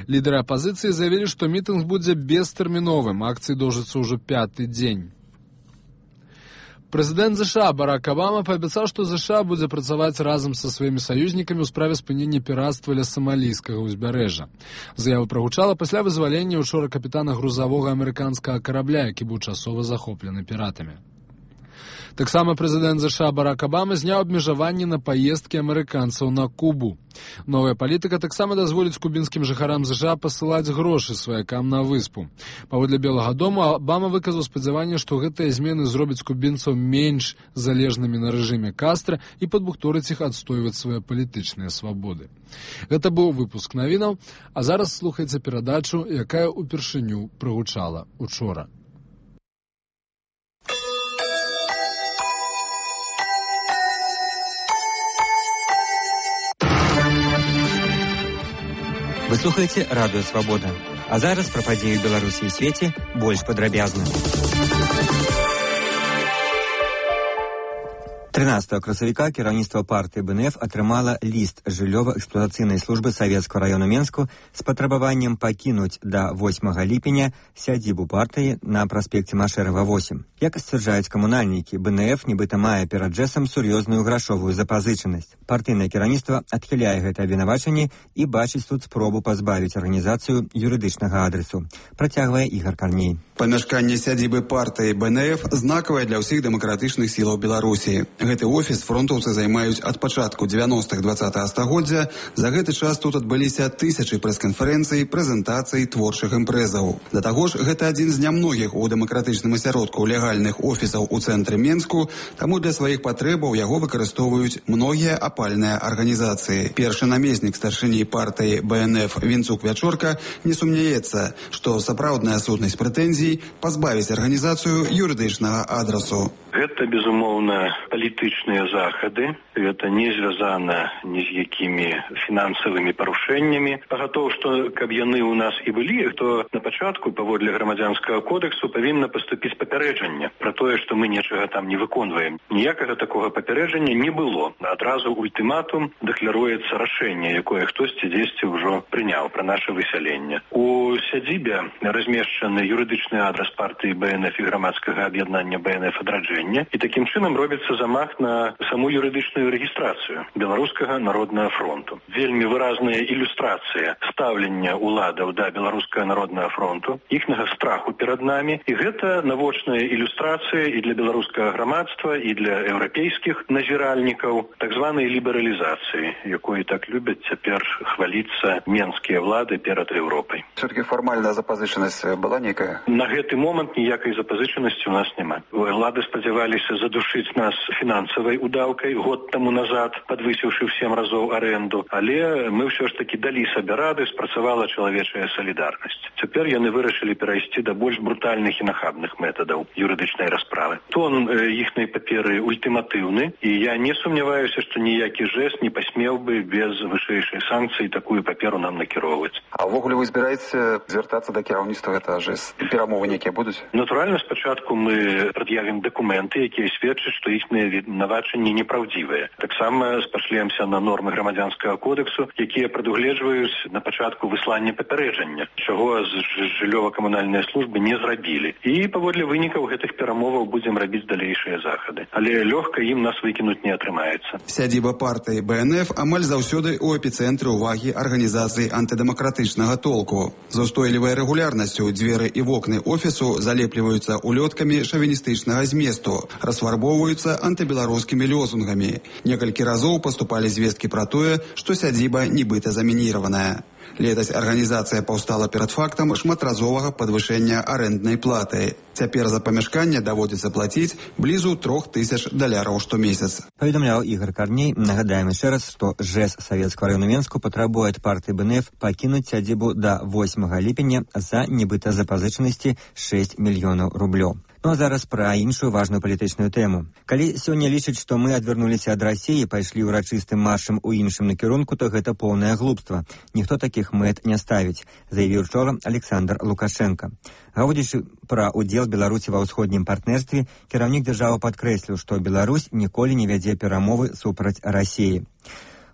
Speaker 1: Лідары апазіцыі заявілі, што мітынг будзе бестэрміновым, акцыі доўжыцца ўжо пяты дзень. Прэзідэнт ЗША Барак Абама паабяцаў, што ЗША будзе працаваць разам са сваімі саюзнікамі ў справе спынення пірацтва ля самалійскага ўзбярэжжа. Заява прагучала пасля вызвалення учора капітана грузавога амерыканскага карабля, які быў часова захоплены піратамі. Таксама прэзідэнт ЗША Барак Абама зняў абмежаванні на паездкі амерыканцаў на Кубу. Новая палітыка таксама дазволіць кубінскім жыхарам ЗША пасылаць грошы сваякам на выспу. Паводле Белага дому Абама выказаў спадзяванне, што гэтыя змены зробяць кубінцаў менш залежнымі на рэжыме Кастра і падбухторыць іх адстойваць свае палітычныя свабоды. Гэта быў выпуск навінаў, а зараз слухайце перадачу, якая ўпершыню прагучала учора.
Speaker 2: Вы слухаеце радыё «Свабода». А зараз пра падзеі ў Беларусі і свеце больш падрабязна. трынаццатага красавіка кіраўніцтва партыі БНФ атрымала ліст жыллёва-эксплуатацыйнай службы Савецкага району Менску з патрабаваннем пакінуць да восьмага ліпеня сядзібу партыі на праспекце Машэрава восем. Як сцвярджаюць камунальнікі, БНФ нібыта мае перад джэсам сур'ёзную грашовую запазычанасць. Партыйнае кіраўніцтва адхіляе гэтае абвінавачанне і бачыць тут спробу пазбавіць арганізацыю юрыдычнага адресу. Працягвае Ігар Карней.
Speaker 3: Памяшканне сядзібы партыі БНФ знакавае для ўсіх дэмакратычных сілаў Беларусі. Гэты офіс фронтаўцы займаюць ад пачатку дзевяностых двадцатага стагоддзя. За гэты час тут адбыліся тысячы прэс-канферэнцый, прэзентацый, творчых імпрэзаў. Да таго ж, гэта адзін з нямногіх у дэмакратычным асяродку легальных офісаў у цэнтры Менску, таму для сваіх патрэбаў яго выкарыстоўваюць многія апальныя арганізацыі. Першы намеснік старшыні партыі бэ эн эф Вінцук Вячорка не сумняецца, што сапраўдная сутнасць прэтэнзій пазбавіць арганізацыю юрыдычнага адрасу.
Speaker 4: Гэта, безумоўна, палітычныя захады. Гэта не звязана ні з якімі фінансавымі парушэннямі. Пагатоў, што каб яны ў нас і былі, то на пачатку, паводле грамадзянскага кодексу, павінна паступіць папярэджанне пра тое, што мы нечага там не выконваем. Ніякага такога папярэджання не было. Адразу ультыматум дэкларуецца рашэнне, якое хтосьці дзесьці ўжо прыняў пра наша высяленне. У сядзібе размешчаны юрыдычны адрас партыі бэ эн эф і грамадскага аб'яднання бэ эн эф адраджэння. І такім чынам робіцца замах на саму юрыдычную рэгістрацыю Беларускага народнага фронту. Вельмі выразная ілюстрацыя стаўлення ўладаў да Беларускага народнага фронту, іхнага страху перад намі. І гэта навочная ілюстрацыя і для беларускага грамадства, і для еўрапейскіх назіральнікаў так званай лібералізацыі, якой так любяць цяпер хваліцца менскія ўлады перад Еўропай.
Speaker 6: Все-таки фармальная запазычанасць была нейкая?
Speaker 4: На гэты момант ніякай запазычанасці ў нас няма. Улады спадзяваліся задушыць нас фінансавай удаўкай год таму назад, падвысіўшы ў сем разоў арэнду, але мы ўсё ж такі далі сабе рады, спрацавала чалавечая салідарнасць. Цяпер яны вырашылі перайсці да больш брутальных і нахабных метадаў юрыдычнай расправы. Тон іхнай паперы ультыматыўны, і я не сумняваюся, што ніякі жэст не пасмеў бы без вышэйшай санкцыі такую паперу нам накіроўваць.
Speaker 6: А ўвогуле вы збіраеце звяртацца да кіраўніцтва гэтага жэст? Перамовы нейкія будуць?
Speaker 4: Натуральна, спачатку мы прад'явім дакументы, якія сведчаць, што іхныя вінавачанні непраўдзівыя. Таксама спашлемся на нормы грамадзянскага кодексу, якія прадугледжваюць на пачатку выслання папярэджання, чаго з жыллёва-камунальныя службы не зрабілі. І паводле вынікаў гэтых перамоваў будзем рабіць далейшыя захады. Але лёгка ім нас выкінуць не атрымаецца.
Speaker 3: Сядзіба партыі бэ эн эф амаль заўсёды ў эпіцэнтры ўвагі арганізацыі антыдэмакратычнага толку. За устойлівай рэгулярнасцю дзверы і вокны офісу залепліваюцца улёткамі шавіністычнага зместу, расфарбоўваюцца антыбеларускімі лёзунгамі. Некалькі разоў паступалі звесткі пра тое, што сядзіба нібыта замініраваная. Летась арганізацыя паўстала перад фактам шматразовага падвышэння арэнднай платы. Цяпер за памяшканне даводзіцца плаціць блізу трох тысяч даляраў штомесяц.
Speaker 2: Паведамляў Ігор Карней. Нагадаем яшчэ раз, што ЖЭС Савецкага району Менску патрабуе ад партыі бэ эн эф пакінуць сядзібу да восьмага ліпеня за нібыта запазычанасці шэсць мільёнаў рублёў. Ну а зараз пра іншую важную палітычную тэму. Калі сёння лічаць, што мы адвярнуліся ад Расіі, пайшлі ўрачыстым маршам у іншым накірунку, то гэта поўнае глупства. Ніхто такіх мэт не ставіць, заявіў учора Александр Лукашенко. Гаворачы пра удзел Беларусі ва ўсходнім партнерстве, кіраўнік дзяржавы падкрэсліў, што Беларусь ніколі не вядзе перамовы супраць Расіі.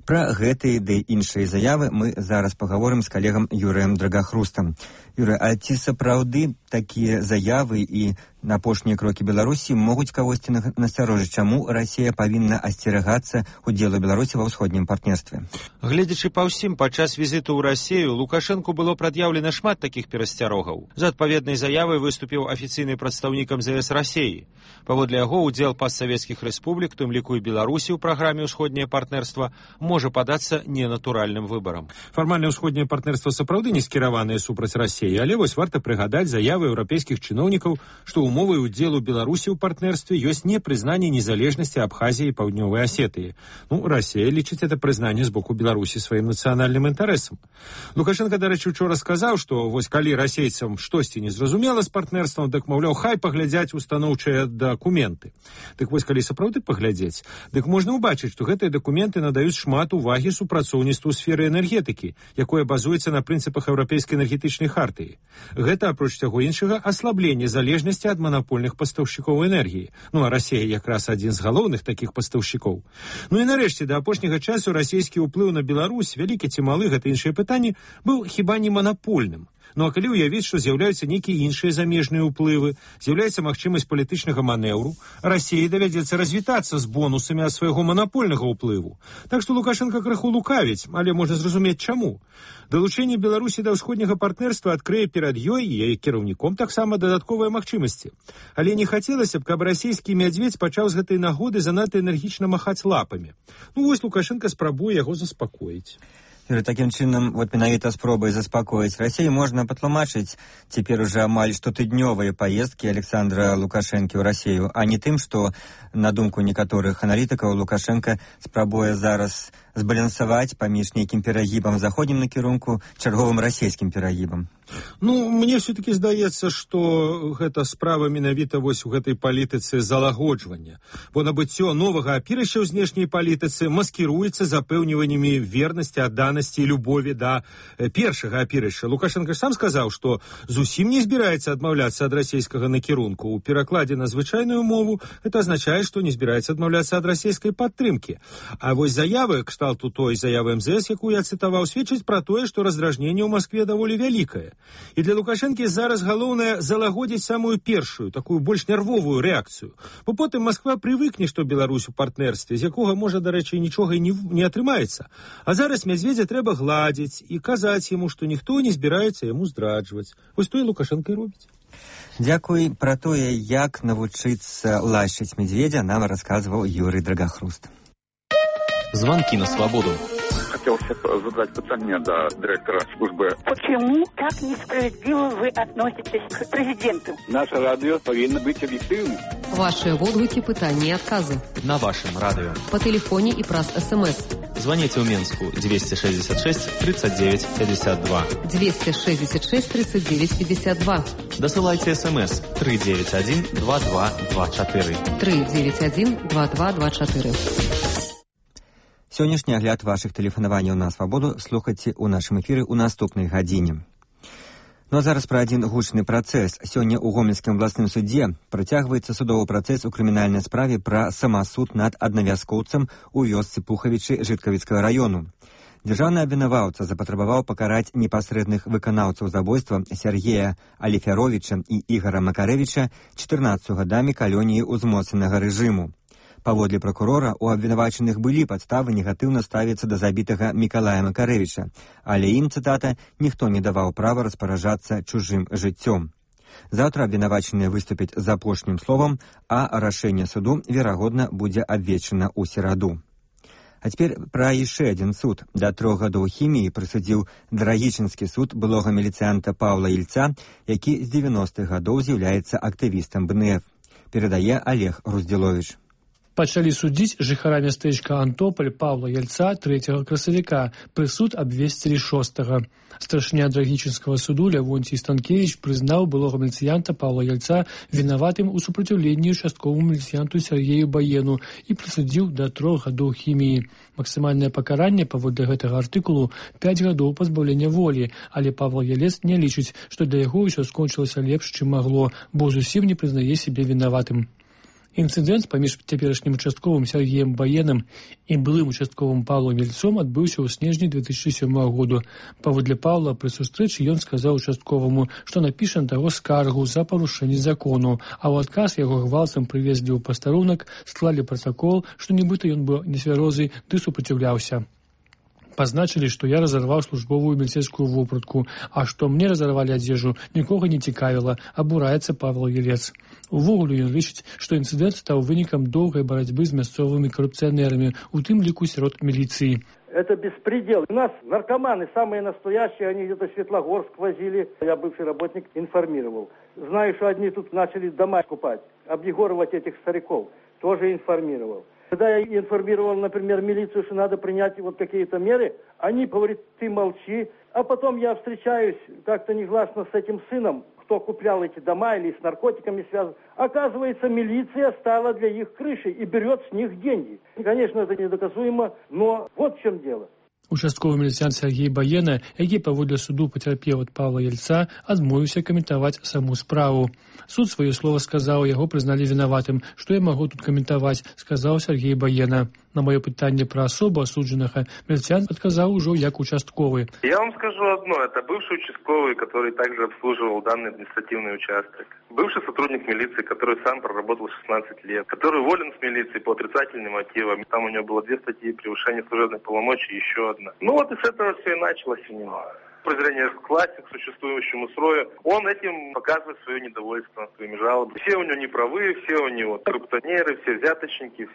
Speaker 2: Пра гэтыя ды іншыя заявы мы зараз пагаворым з калегам Юрыем Драгахрустам. Юрый, а ці сапраўды такія заявы і апошнія крокі Беларусі могуць кагосьці насцярожыць, чаму Расія павінна асцерагацца удзелу Беларусі ва ўсходнім партнерстве?
Speaker 5: Гледзячы па ўсім, падчас візіту ў Расію Лукашэнку было прад'яўлена шмат такіх перасцярогаў. За адпаведнай заявай выступіў афіцыйны прадстаўнікам зэ эс Расіі. Паводле яго, удзел пастсавецкіх рэспублік, тым ліку і Беларусі ў праграме «Усходняе партнерства», можа падацца ненатуральным выбарам.
Speaker 15: Фармальна ўсходняе партнерства сапраўды не скіраванае супраць Расіі, але вось варта прыгадаць заявы еўрапейскіх чыноўнікаў, што умовай удзелу Беларусі ў партнерстве ёсць не прызнанне незалежнасці Абхазіі і Паўднёвай Асетыі. Ну, Расія лічыць это прызнанне з боку Беларусі сваім нацыянальным інтарэсам. Лукашенко, дарэчы, учора сказаў, што вось калі расейцам штосьці незразумела з партнерствам, дык, маўляў, хай паглядзяць устаноўчыя дакументы. Дык вось калі сапраўды паглядзець, дык можна ўбачыць, што гэтыя дакументы надаюць шмат увагі супрацоўніцтву ў сферы энергетыкі, якое базуецца на прынцыпах еўрапейскай энергетычнай хартыі. Гэта, апроч таго іншага, аслабленне залежнасці ад манапольных пастаўшчыкоў энергіі. Ну, а Расія якраз адзін з галоўных такіх пастаўшчыкоў. Ну і нарэшце, да апошняга часу расійскі ўплыў на Беларусь, вялікі ці малы, гэта іншае пытанне, быў хіба не манапольным.
Speaker 5: Ну а калі ўявіць, што з'яўляюцца нейкія іншыя замежныя ўплывы, з'яўляецца магчымасць палітычнага манеўру, Расіі давядзецца развітацца з бонусамі ад свайго манапольнага ўплыву. Так што Лукашенко крыху лукавіць, але можна зразумець чаму. Далучэнне Беларусі да ўсходняга партнерства адкрые перад ёй і яе кіраўніком таксама дадатковыя магчымасці. Але не хацелася б, каб расійскі мядзведзь пачаў з гэтай нагоды занадта энергічна махаць лапамі. Ну вось Лукашенко спрабуе яго заспакоіць.
Speaker 2: Юрий, таким чином, вот менавіта спробой заспокоить Россию можно потлумачить теперь уже амаль штотыднёвые поездки Александра Лукашенко в Россию, а не тым, что, на думку некоторых аналитиков, Лукашенко спрабуе зараз збалансаваць паміж нейкім перагібам заходнім накірунку чарговым расійскім перагібам.
Speaker 5: Ну, мне все-таки здаецца, што гэта справа менавіта вось у гэтай палітыцы залагоджвання. Бо набыццё новага апірышча ў знешняй палітыцы маскіруецца запэўніваннямі вернасці, адданасці і любові да першага апірышча. Лукашенко ж сам сказаў, што зусім не збіраецца адмаўляцца ад расійскага накірунку. У перакладзе на звычайную мову гэта азначае, што не збіраецца адмаўляцца ад расійскай падтрымкі. А вось заявы, кшталту той заявы эм зэ эс, якую я цытаваў, сведчыць пра тое, што раздражненне ў Маскве даволі вялікае. І для Лукашэнкі зараз галоўнае залагодзіць самую першую, такую больш нервовую рэакцыю. Бо потым Масква прывыкне, што Беларусь у партнерстве, з якога, можа, дарэчы, нічога і не, не атрымаецца. А зараз Мядзведзя трэба гладзіць і казаць яму, што ніхто не збіраецца яму здраджваць. Вось то і Лукашенко і робіць.
Speaker 2: Дзякуй. Пра тое, як навучыцца лашыць Мядзведзя, нам расказваў Юрий Драгахруст.
Speaker 10: Звонки на свободу.
Speaker 6: Хотелось задать питание до директора службы.
Speaker 8: Почему так несправедливо вы относитесь к президенту?
Speaker 6: Наше радио повинно быть объективным.
Speaker 9: Ваши водгуки, пытания и отказы.
Speaker 10: На вашем радио.
Speaker 9: По телефоне и праз СМС.
Speaker 10: Звоните в Минску двести шестьдесят шесть тридцать девять пятьдесят два.
Speaker 9: двести шестьдесят шесть тридцать девять пятьдесят два.
Speaker 10: Досылайте СМС три девять один два два два четыре.
Speaker 9: три девять один два два два четыре.
Speaker 2: Сённяшні агляд вашых тэлефанаванняў на свабоду слухайце ў нашым эфіры ў наступнай гадзіне. Ну а зараз пра адзін гучны працэс. Сёння ў Гомельскім абласным судзе працягваецца судовы працэс у крымінальнай справе пра самасуд над аднавязкоўцам у вёсцы Пухавічы Жыткавіцкага раёну. Дзяржаўны абвінаваўца запатрабаваў пакараць непасрэдных выканаўцаў забойства Сергея Аліфяровіча і Ігара Макарэвіча чатырнаццацю гадамі калоніі ўзмоцненага рэжыму. Паводле пракурора, у абвінавачаных былі падставы негатыўна ставіцца да забітага Мікалая Макарэвіча, але ім, цытата, ніхто не даваў права распараджацца чужым жыццём. Заўтра абвінавачаныя выступяць з апошнім словам, а рашэнне суду, верагодна, будзе абвешчана ў сераду. А цяпер пра яшчэ адзін суд. Да трох гадоў хіміі прысудзіў Драгічынскі суд былога міліцыянта Паўла Ільца, які з дзевяностых гадоў з'яўляецца актывістам бэ эн эф. Перадае Олег Руздзіловіч.
Speaker 11: Пачалі судзіць жыхара мястэчка Антополь Павла Яльца трэцяга красавіка. Прысуд абвесцілі шостага. Старшыня Драгічынскага суду Лявонцій Станкевіч прызнаў былога міліцыянта Павла Яльца вінаватым у супраціўленні участковаму міліцыянту Сергею Баену і прысудзіў да трох гадоў хіміі. Максімальнае пакаранне паводле гэтага артыкулу пяць гадоў пазбаўлення волі, але Павла Ялец не лічыць, што для яго ўсё скончылася лепш, чым магло, бо зусім не прызнае сябе вінаватым. Інцыдэнт паміж цяперашнім участковым Сергеем Баенам і былым участковым Павлом Ільцом адбыўся ў снежні две тысячи сёмага году. Паводле Павла пры сустрэчы ён сказаў участковаму, што напіша на таго скаргу за парушэнне закону, а ў адказ яго гвалтам прывезлі ў пастарунак, склалі пратакол, што нібыта ён быў нецвярозы ды супраціўляўся. Пазначылі, што я разарваў службовую міліцейскую вопратку, а што мне разарвалі адзежу, нікога не цікавіла, абураецца Павел Елец. Увогуле ён лічыць, што інцыдэнт стаў вынікам доўгай барацьбы з мясцовымі карупцыянерамі, у тым ліку сярод міліцыі.
Speaker 12: Это беспредел. У нас наркоманы самые настоящие, они где-то Светлогорск возили. Я бывший работник информировал. Знаю, что одни тут начали дома купать, объегоровать этих стариков. Тоже информировал. Когда я информировал, например, милицию, что надо принять вот какие-то меры, они говорят, ты молчи. А потом я встречаюсь как-то негласно с этим сыном, кто куплял эти дома или с наркотиками связан. Оказывается, милиция стала для их крышей и берет с них деньги. Конечно, это недоказуемо, но вот в чем дело.
Speaker 11: Участковы міліцыянт Сергей Баена, які паводле суду пацярпеў ад Павла Ельца, адмовіўся каментаваць саму справу. Суд сваё слова сказаў, яго прызналі вінаватым. Што я магу тут каментаваць, сказаў Сергей Баена. На мое пытанне пра асобу асуджанага Мельцян адказаў ужо як участковы.
Speaker 7: Я вам скажу одно. Это бывший участковый, который также обслуживал данный административный участок. Бывший сотрудник милиции, который сам проработал шестнадцать лет, который уволен с милиции по отрицательным мотивам. Там у него было две статьи: превышение служебных полномочий и еще одна. Ну вот и с этого все и началось у него. Презрение к власти, к существующему строю. Он этим показывает свое недовольство, своими жалобами. Все у него неправы, все у него коррупционеры, все взяточники.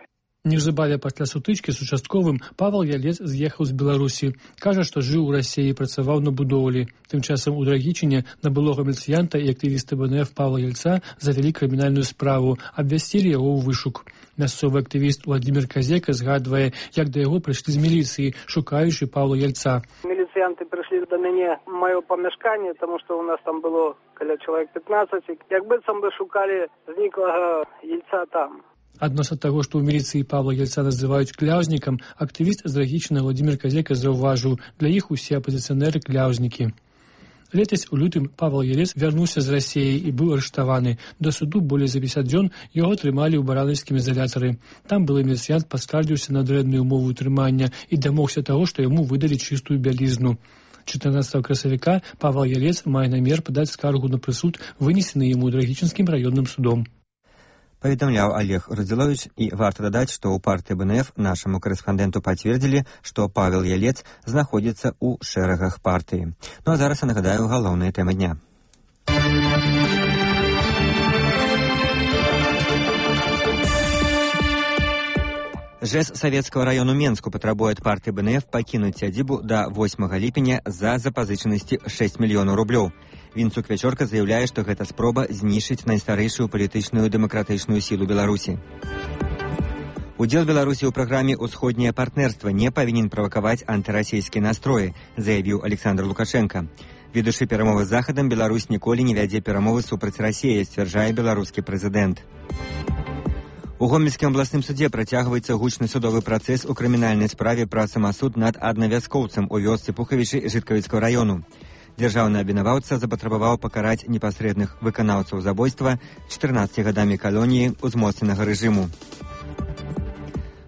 Speaker 11: Неўзабаве пасля сутычкі з участковым Павел Ялец з'ехаў з Беларусі. Кажа, што жыў у Расіі і працаваў на будоўлі. Тым часам у Драгічыне на былога міліцыянта і актывіста БНФ Павла Яльца завялі крымінальную справу, абвясцілі яго ў вышук. Мясцовы актывіст Владимир Казека згадвае, як да яго прыйшлі з міліцыі, шукаючы Павла Яльца.
Speaker 13: Міліцыянты прыйшлі да мяне ў маё памяшканне, таму што ў нас там было каля чалавек пятнадцать. Як быццам бы шукалі зніклага Яльца там.
Speaker 11: Адносна таго, што ў міліцыі Павла Яльца называюць кляўзнікам, актывіст з Драгічына Владимир Казека заўважыў, для іх усе апазіцыянеры кляўзнікі. Летась у лютым Павел Ялец вярнуўся з Расіі і быў арыштаваны. До суду болей за пятьдесят дзён яго трымалі ў баранаўскім изолятары. Там былы міліцыянт паскардзіўся на дрэнную ўмову трымання і дамогся таго, што яму выдалі чыстую бялізну. чатырнаццатага красавіка Павел Ялец мае намер падаць скаргу на прысуд, вынесены яму Драгічынскім раённым судом.
Speaker 2: Паведамляў Олег Радзілович, і варта дадаць, што ў партыі БНФ нашаму корэспандэнту пацвердзілі, што Павел Ялец знаходзіцца ў шэрагах партыі. Ну а зараз я нагадаю галоўныя тэмы дня. ЖЭС Савецкого району Менску патрабуе ад партыі БНФ пакінуць сядзібу да восьмага ліпеня за запазычанасці шэсць мільёнаў рублёў. Вінцук Вячорка заяўляе, што гэта спроба знішчыць найстарэйшую палітычную дэмакратычную сілу Беларусі. Удзел Беларусі ў праграме «Усходняе партнерства» не павінен правакаваць антырасійскія настроі, заявіў Александр Лукашенко. Ведучы перамовы з Захадам, Беларусь ніколі не вядзе перамовы супраць Расіі, сцвярджае беларускі прэзідэнт. У Гомельскім абласным судзе працягваецца гучны судовы працэс у крымінальнай справе пра самасуд над аднавяскоўцам у вёсцы Пухавічы Жыткавіцкага району. Дзяржаўны абвінаваўца запатрабаваў пакараць непасрэдных выканаўцаў забойства чатырнаццаці гадамі калоніі ўзмоцненага рэжыму.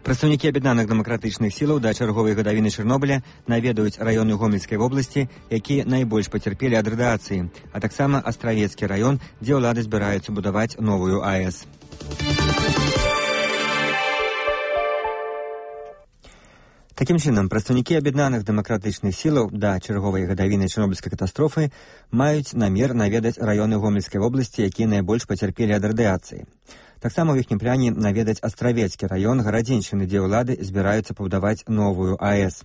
Speaker 2: Прадстаўнікі аб'яднаных дэмакратычных сілаў да чарговай гадавіны Чарнобыля наведаюць раёны Гомельскай вобласці, якія найбольш пацярпелі ад радыацыі, а таксама Астравецкі раён, дзе ўлады збіраюцца будаваць новую АЭС. Такім чынам, прадстаўнікі аб'яднаных дэмакратычных сілаў да чарговай гадавіны чарнобыльскай катастрофы маюць намер наведаць раёны Гомельскай вобласці, якія найбольш пацярпелі ад радыацыі. Таксама ў іхнім пляне наведаць Астравецкі раён Гарадзеншчыны, дзе ўлады збіраюцца пабудаваць новую АЭС.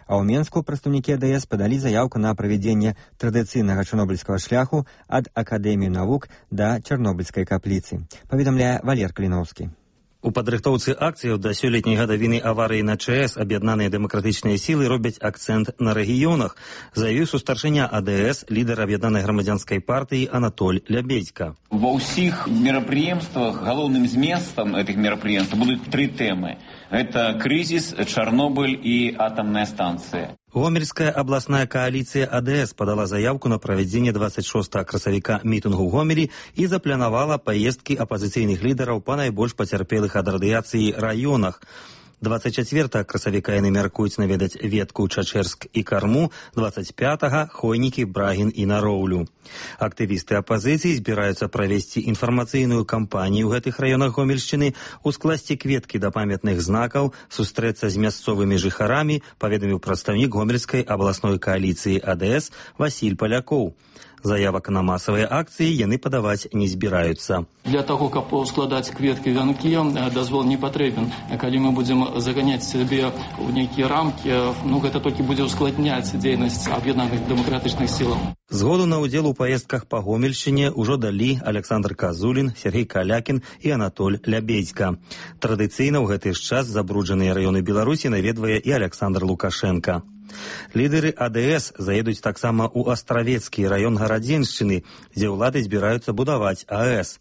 Speaker 2: А ў Менску прадстаўнікі АДС падалі заяўку на правядзенне традыцыйнага чарнобыльскага шляху ад Акадэміі навук да Чарнобыльскай капліцы, паведамляе Валер Каліноўскі.
Speaker 16: У падрыхтоўцы акцыяў да сёлетняй гадавіны аварыі на ЧАЭС аб'яднаныя дэмакратычныя сілы робяць акцэнт на рэгіёнах, заявіў сустарчыня АДС, лідар аб'яднанай грамадзянскай партыі Анатоль Лябедзька.
Speaker 17: Ва ўсіх мерапрыемствах галоўным зместам гэтых мерапрыемстваў будуць тры тэмы. Гэта крызіс, Чарнобыль і атамная станцыя.
Speaker 16: Гомельская абласная коаліцыя АДС падала заявку на правядзенне двадцать шостага красавіка мітынгу ў Гомелі і запланавала паездкі апазіцыйных лідараў па найбольш пацярпелых ад радыяцыі раёнах. двадцать чацвёртага красавіка яны мяркуюць наведаць Ветку, Чачэрск і Карму, двадцать пятага Хойнікі, Брагін і Нароўлю. Актывісты апазіцыі збіраюцца правесці інфармацыйную кампанію ў гэтых раёнах Гомельшчыны, ускласці кветкі да памятных знакаў, сустрэцца з мясцовымі жыхарамі, паведаміў прадстаўнік Гомельскай абласной коаліцыі АДС Васіль Палякоў. Заявак на масавыя акцыі яны падаваць не збіраюцца.
Speaker 18: Для таго, каб складаць кветкі вянкі, дазвол не патрэбен. Калі мы будзем заганяць сябе ў нейкія рамкі, ну гэта толькі будзе ускладняць дзейнасць аб'яднаных дэмакратычных сілаў.
Speaker 16: Згоду на ўдзел у паездках па Гомельшчыне ўжо далі Александр Казулін, Сергей Калякін і Анатоль Лябедзька. Традыцыйна ў гэты ж час забруджаныя раёны Беларусі наведвае і Александр Лукашенко. Лідары АДС заедуць таксама ў Астравецкі раён Гарадзеншчыны, дзе ўлады збіраюцца будаваць АЭС.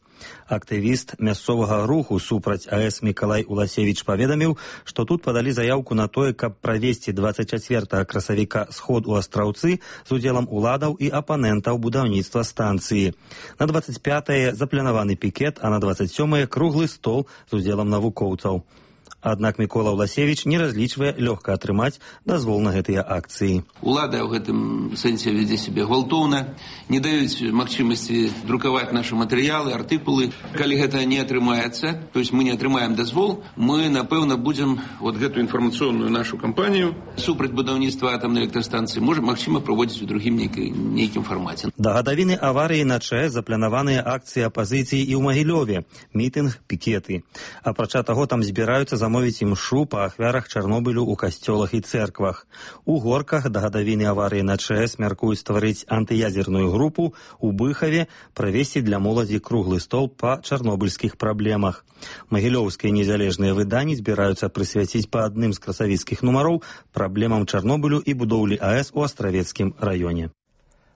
Speaker 16: Актывіст мясцовага руху супраць АЭС Мікалай Уласевіч паведаміў, што тут падалі заявку на тое, каб правесці двадцать чацвёртага красавіка сход у Астраўцы з удзелам уладаў і апанентаў будаўніцтва станцыі. На двадцать пятае запланаваны пікет, а на двадцать сёмае круглы стол з удзелам навукоўцаў. Аднак Мікола Ўласевіч не разлічвае лёгка атрымаць дазвол на гэтыя акцыі.
Speaker 14: Улада ў гэтым сэнсе вядзе сябе гвалтоўна, не даюць магчымасці друкаваць нашы матэрыялы, артыкулы. Калі гэта не атрымаецца, то есть мы не атрымаем дазвол, мы, напэўна, будзем вот гэту інфармацыйную нашу кампанію супраць будаўніцтва атамнай электрастанцыі можа, магчыма, праводзіць у другім нейкім, нейкім фармаце.
Speaker 16: Да гадавіны аварыі на ЧАЭС запланаваныя акцыі апазіцыі і ў Магілёве, мітынг, пікеты. Апрача таго, там збіраюцца замовіць імшу па ахвярах Чарнобылю ў касцёлах і цэрквах. У Горках да гадавіны аварыі на ЧАЭС мяркуюць стварыць антыядзерную групу, у Быхаве правесці для моладзі круглы стол па чарнобыльскіх праблемах. Магілёўскія незалежныя выданні збіраюцца прысвяціць па адным з красавіцкіх нумароў праблемам Чарнобылю і будоўлі АЭС у Астравецкім раёне.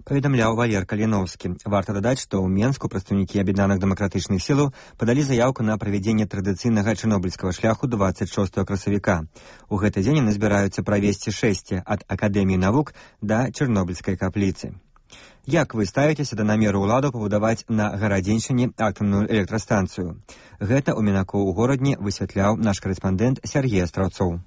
Speaker 2: Паведамляў Валер Каліновскі. Варта дадаць, што ў Менску прадстаўнікі аб'яднаных дэмакратычных сілаў падалі заяўку на правядзенне традыцыйнага чарнобыльскага шляху дваццаць шостага красавіка. У гэты дзень яны збіраюцца правесці шэсце ад Акадэміі навук да Чарнобыльскай капліцы. Як вы ставіцеся да намеру ўладаў пабудаваць на гарадзеншчыне атамную электрастанцыю? Гэта ў Мінаку ў горадні высвятляў наш карэспандэнт Сергей Астраўцоў.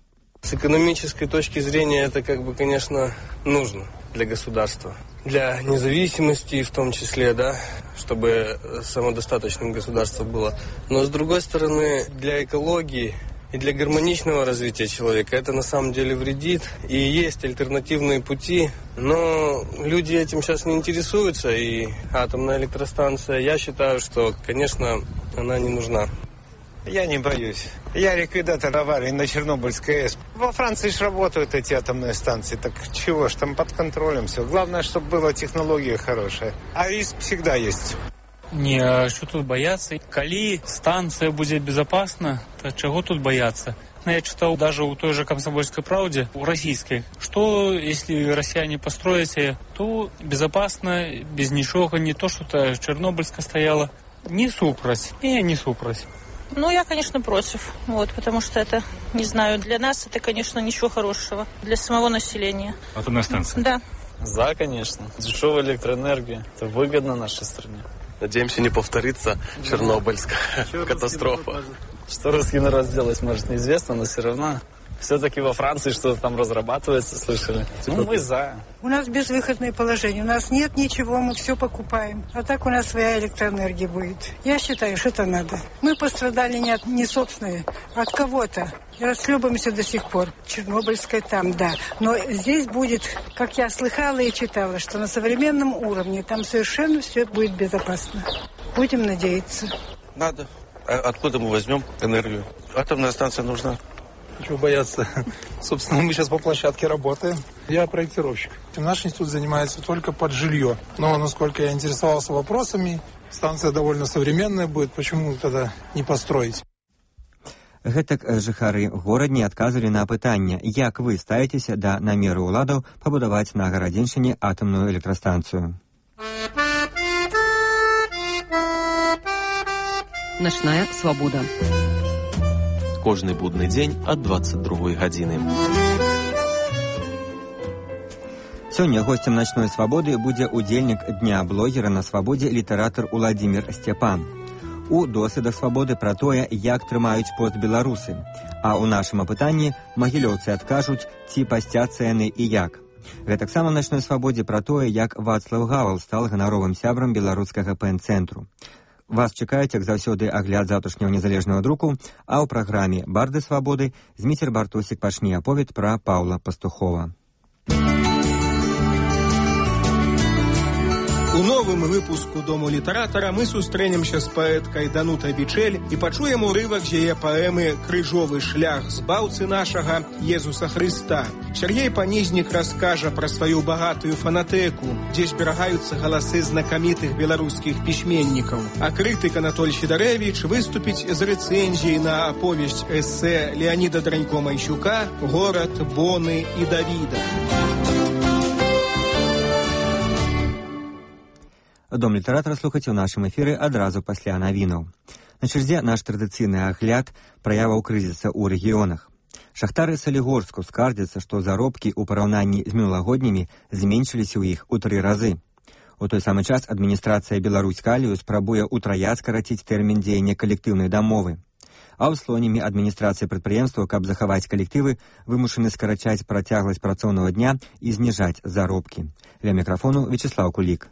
Speaker 19: С экономической точки зрения это, как бы, конечно, нужно для государства. Для независимости в том числе, да, чтобы самодостаточным государство было. Но с другой стороны, для экологии и для гармоничного развития человека это на самом деле вредит. И есть альтернативные пути, но люди этим сейчас не интересуются. И атомная электростанция, я считаю, что, конечно, она не нужна.
Speaker 20: Я не боюсь. Я ликвидатор аварии на Чернобыльской АЭС. Во Франции же работают эти атомные станции. Так чего ж, там под контролем все. Главное, чтобы была технология хорошая. А риск всегда есть.
Speaker 21: Не, а что тут бояться? Коли станция будет безопасна, то чего тут бояться? Я читал даже у той же «Комсомольской правде», у российской, что если россияне построят, то безопасно, без ничего, не то, что-то Чернобыльская стояла. Не супроть. Не, не супроть.
Speaker 22: Ну, я, конечно, против, вот, потому что это, не знаю, для нас это, конечно, ничего хорошего, для самого населения.
Speaker 21: Атомная станция?
Speaker 22: Да.
Speaker 26: За, конечно. Дешевая электроэнергия, это выгодно нашей стране.
Speaker 19: Надеемся, не повторится Чернобыльская катастрофа.
Speaker 26: Что русский народ сделать, может, неизвестно, но все равно. Все-таки во Франции что-то там разрабатывается, слышали? Ну, мы за.
Speaker 27: У нас безвыходное положение. У нас нет ничего, мы все покупаем. А так у нас своя электроэнергия будет. Я считаю, что это надо. Мы пострадали не от не собственные, а от кого-то. И расхлебываемся до сих пор. Чернобыльская там, да. Но здесь будет, как я слыхала и читала, что на современном уровне там совершенно все будет безопасно. Будем надеяться.
Speaker 19: Надо. А откуда мы возьмем энергию? Атомная станция нужна.
Speaker 28: Чего бояться? Собственно, мы сейчас по площадке работаем. Я проектировщик. Наш институт занимается только под жилье. Но, насколько я интересовался вопросами, станция довольно современная будет. Почему тогда не построить?
Speaker 2: Гэтак жыхары горадні адказвалі на пытанне, як вы ставіцеся да намеру ўладаў пабудаваць на гарадзеншчыне атамную электрастанцыю.
Speaker 9: Начная свабода.
Speaker 10: Кожны будны дзень ад дваццаць другой гадзіны.
Speaker 2: Сёння госцем начной свабоды будзе удзельнік дня блогера на свабодзе літаратар Уладзімір Сцяпан. У досведах свабоды пра тое, як трымаюць пост беларусы. А ў нашым апытанні магілёўцы адкажуць, ці пасцяцца яны і як. Гэтаксама в начной свабодзе пра тое, як Вацлаў Гавал стал ганаровым сябрам беларускага пэн-цэнтру. Вас чакаюць, як заўсёды, агляд завтрашняго незалежнага друку, а ў праграме «Барды свабоды» Зміцер Бартосік пачне аповед пра Паўла Пастухова.
Speaker 29: У новым выпуску «Дому літаратара» мы сустрэнемся з паэткай Данутай Бичэль і пачуем урывак з яе паэмы «Крыжовы шлях збаўцы нашага Езуса Хрыста». Сергей Панізнік раскажа пра сваю багатую фанатэку, дзе зберагаюцца галасы знакамітых беларускіх пісьменнікаў. А крытык Анатоль Сідарэвіч выступіць з рэцэнзіяй на аповесць эсэ Леаніда Дранько-Майсюка «Горад, Боны і Давіда».
Speaker 2: Дом літаратара слухаце ў нашым эфіры адразу пасля навінаў. На чарзе наш традыцыйны агляд праяваў крызіса ў рэгіёнах. Шахтары Салігорску скардзяцца, што заробкі ў параўнанні з мінулагоднімі зменшыліся ў іх у тры разы. У той самы час адміністрацыя Беларусь-Калію спрабуе ўтрая скараціць тэрмін дзеяння калектыўнай дамовы. А ў Слоніме адміністрацыя прадпрыемстваў, каб захаваць калектывы, вымушаны скарачаць працягласць працоўнага дня і зніжаць заробкі. Ля мікрафону Вячеслав Кулик.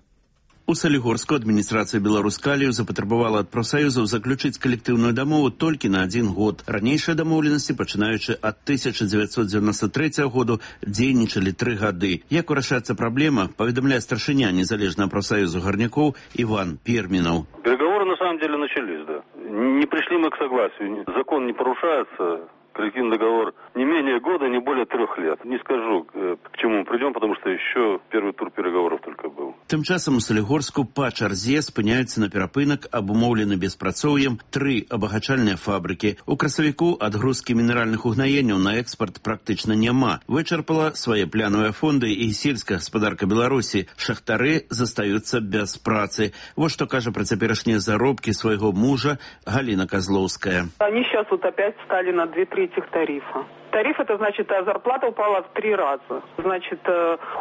Speaker 1: У Салігорску адміністрацыя Беларускалію запатрабавала ад прафсаюзаў заключыць калектыўную дамову толькі на адзін год. Ранейшыя дамоўленасці, пачынаючы ад тысяча дзевяцьсот дзевяносто третьего году, дзейнічалі тры гады. Як вырашаецца праблема, паведамляе старшыня незалежнага прафсаюзу гарнякоў Иван Перминов.
Speaker 3: Переговоры на самом деле начались, да. Не пришли мы к согласию. Закон не порушается. Коллективный договор не менее года, не более трех лет. Не скажу, к чему мы придем, потому что еще первый тур переговоров только был.
Speaker 1: Тым часам у Салігорску па чарзе спыняюцца на перапынак, абумоўлены беспрацоўем, тры абагачальныя фабрыкі. У красавіку адгрузкі мінеральных угнаенняў на экспорт практычна няма. Вычарпала свае плянавыя фонды і сельская гаспадарка Беларусі. Шахтары застаюцца без працы. Вот што кажа пра цяперашнія заробкі свайго мужа Галина Козловская.
Speaker 4: Они сейчас вот опять стали на две трети тарифа. Тариф, это значит, а зарплата упала в три раза. Значит,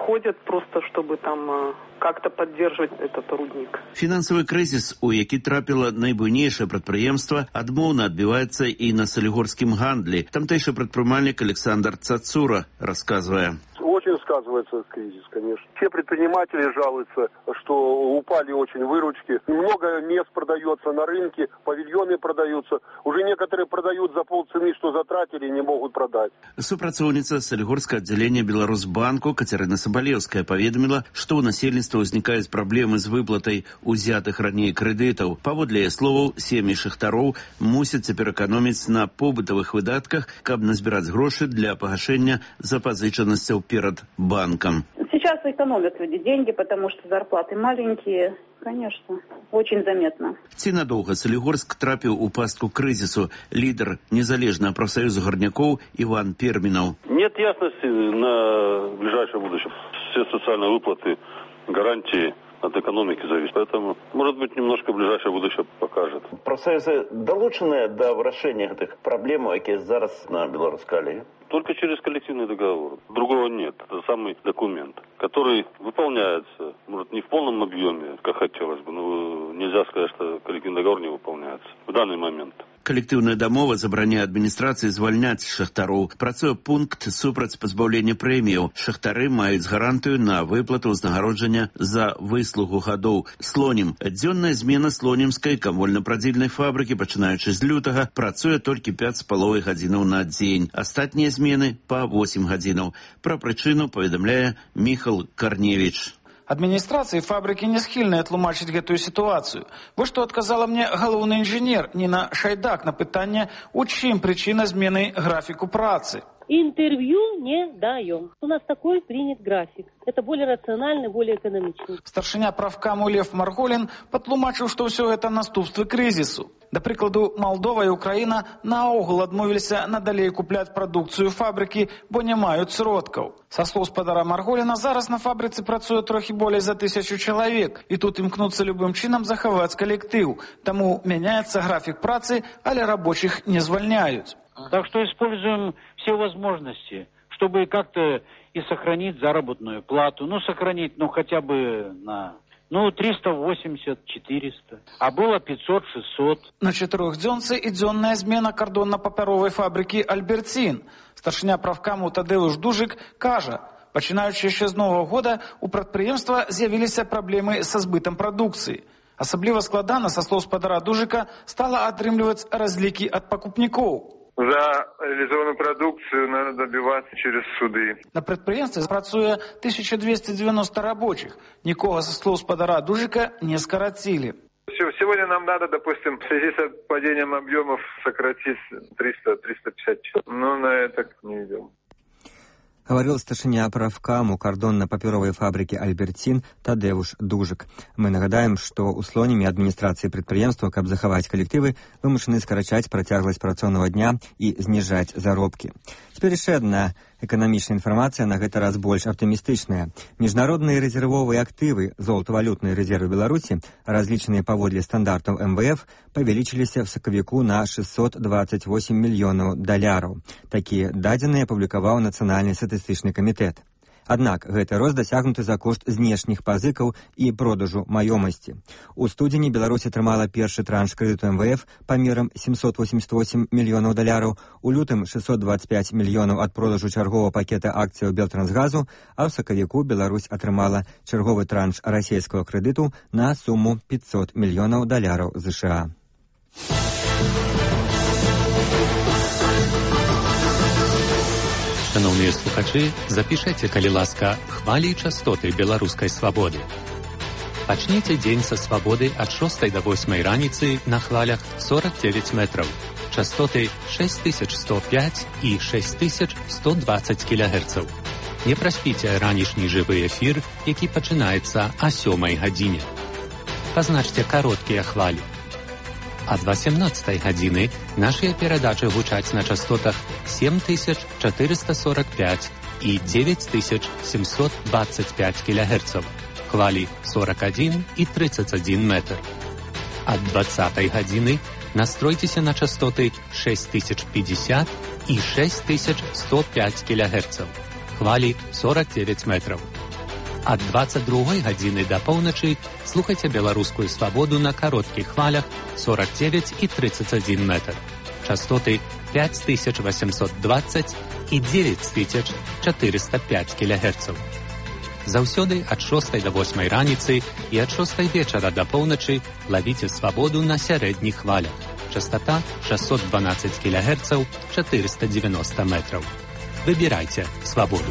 Speaker 4: ходят просто, чтобы там как-то поддерживать этот рудник.
Speaker 1: Фінансавы крызіс, у які трапіла найбуйнейшае прадпрыемства, адмоўна адбіваецца і на салігорскім гандлі. Тамтэйшы прадпрымальнік Александр Цацура рассказывае.
Speaker 5: Очень сказывается кризис, конечно. Все предприниматели жалуются, что упали очень выручки. Много мест продается на рынке, павильоны продаются. Уже некоторые продают за полцены, что затратили, не могут продать.
Speaker 1: Супрацоўніца Салігорскага аддзялення Беларусбанку Катерина Соболевская паведаміла, што ў насельніцтва ўзнікаюць праблемы з выплатай узятых раней крэдытаў. Паводле яе словаў, сем'і шахтароў мусяць цяпер эканоміць на побытавых выдатках, каб назбіраць грошы для пагашэння запазычанасцяў перед банком.
Speaker 8: Сейчас экономят люди деньги, потому что зарплаты маленькие. Конечно, очень заметно.
Speaker 1: Ці надоўга Салігорск трапіў у пастку крызісу. Лідер незалежнага прафсаюза гарнякоў Иван Перминов.
Speaker 3: Нет ясности на ближайшее будущее. Все социальные выплаты, гарантии от экономики зависит. Поэтому, может быть, немножко ближайшее будущее покажет.
Speaker 15: Профсоюзы долучены до вырашэння гэтых праблем, якія зараз на Беларускаліі?
Speaker 3: Только через коллективный договор. Другого нет. Это самый документ, который выполняется, может, не в полном объеме, как хотелось бы, но нельзя сказать, что коллективный договор не выполняется в данный момент.
Speaker 1: Калектыўная дамова забараняе адміністрацыі звальняць шахтароў. Працуе пункт супраць пазбаўлення прэміяў. Шахтары маюць гарантыю на выплату ўзнагароджання за выслугу гадоў. Слонім. Дзённая змена слонімскай камольна-прадзільнай фабрыкі, пачынаючы з лютага, працуе толькі пяць з паловай гадзінаў на дзень. Астатнія змены па восем гадзінаў. Пра прычыну паведамляе Міхал Карневіч.
Speaker 23: Адміністрацыі фабрыкі не схільныя тлумачыць гэтую сітуацыю. Вось што адказала мне галоўны інжынер Ніна Шайдак на пытанне, у чым прычына змены графіку працы.
Speaker 24: Интервью не даем. У нас такой принят график. Это более рациональный, более экономичный.
Speaker 23: Старшыня правкаму Лев Марголін патлумачыў, што ўсё гэта наступствы крызісу. Да прыкладу, Малдова і Украіна наогул адмовіліся надалей купляць прадукцыю фабрыкі, бо не маюць сродкаў. Са слоў спадара Марголіна, зараз на фабрыцы працуе трохі болей за тысячу чалавек, і тут імкнуцца любым чынам захаваць калектыў. Таму мяняецца графік працы, але рабочых не звальняюць.
Speaker 25: Так что используем все возможности, чтобы как-то и сохранить заработную плату. Ну, сохранить, ну, хотя бы на... Ну, триста восемьдесят - четыреста. А было пятьсот - шестьсот.
Speaker 23: На чатырохдзёнцы і дзённая змена кардонна-папяровай фабрыкі «Альберцін». Старшыня правкаму Тадеуш Дужик кажа, пачынаючы яшчэ з новага года у прадпрыемства з'явіліся праблемы са збытам прадукцыі. Асабліва складана, са слоў спадара Дужика, стала атрымліваць разлікі ад пакупнікоў.
Speaker 7: За реализованную продукцию надо добиваться через суды.
Speaker 23: На предприятии працуе тысяча двести девяносто рабочих. Никого со слов спадара Дужика не скоротили.
Speaker 7: Сегодня нам надо, допустим, в связи с падением объемов сократить триста - триста пятьдесят человек. Но на это не идем.
Speaker 2: Говорил старшыня правкаму кардонна-папяровай фабрыкі «Альберцін» Тадеуш Дужик. Мы нагадаем, што ў Слоніме адміністрацыі прадпрыемства, каб захаваць калектывы, вымушаны скарачаць працягласць працоўнага дня і зніжаць заробкі. Цяпер яшчэ адна эканамічная інфармацыя, на гэты раз больш аптымістычная. Міжнародныя рэзервовыя актывы, золатавалютныя рэзервы Беларусі, разлічаныя паводле стандартаў эм вэ эф, павялічыліся в сакавіку на шестьсот двадцать восемь мільёнаў даляраў. Такія дадзеныя апублікаваў Нацыянальны статыстычны камітэт. Аднак гэты рост дасягнуты за кошт знешніх пазыкаў і продажу маёмасці. У студзені Беларусь атрымала першы транш крэдыту эм вэ эф памерам семьсот восемьдесят восемь мільёнаў даляраў, у лютым шестьсот двадцать пять мільёнаў ад продажу чаргового пакета акцыяў Белтрансгазу, а ў сакавіку Беларусь атрымала чарговы транш расійскага крэдыту на суму пятьсот мільёнаў даляраў ЗША.
Speaker 6: Шановныя слухачы, запішайце, калі ласка, хвалі і частоты беларускай свабоды. Пачніце дзень са свабоды ад шостай да восьмай раніцы на хвалях сорок девять метраў, частоты шесть тысяч сто пять і шесть тысяч сто двадцать кілягерцаў. Не праспіце ранішні жывы эфір, які пачынаецца о сёмай гадзіне. Пазначце кароткія хвалі. Ад восемнадцатай гадзіны нашыя перадачы гучаць на частотах семь тысяч четыреста сорок пять і девять тысяч семьсот двадцать пять кілягерцаў, хвалі сорок один і тридцать один метр. Ад двадцатай гадзіны настройцеся на частоты шесть тысяч пятьдесят і шесть тысяч сто пять кілягерцаў, хвалі сорок девять метров. Ад двадцать другой гадзіны да поўначы слухайце беларускую свабоду на кароткіх хвалях сорок девять і тридцать один метр, частоты пять тысяч восемьсот двадцать і девять тысяч четыреста пять кілягерцаў. Заўсёды ад шостай да восьмай раніцы і ад шостай вечара да поўначы лавіце свабоду на сярэдніх хвалях, частота шестьсот двенадцать кілягерцаў, четыреста девяносто метров. Выбирайте свободу.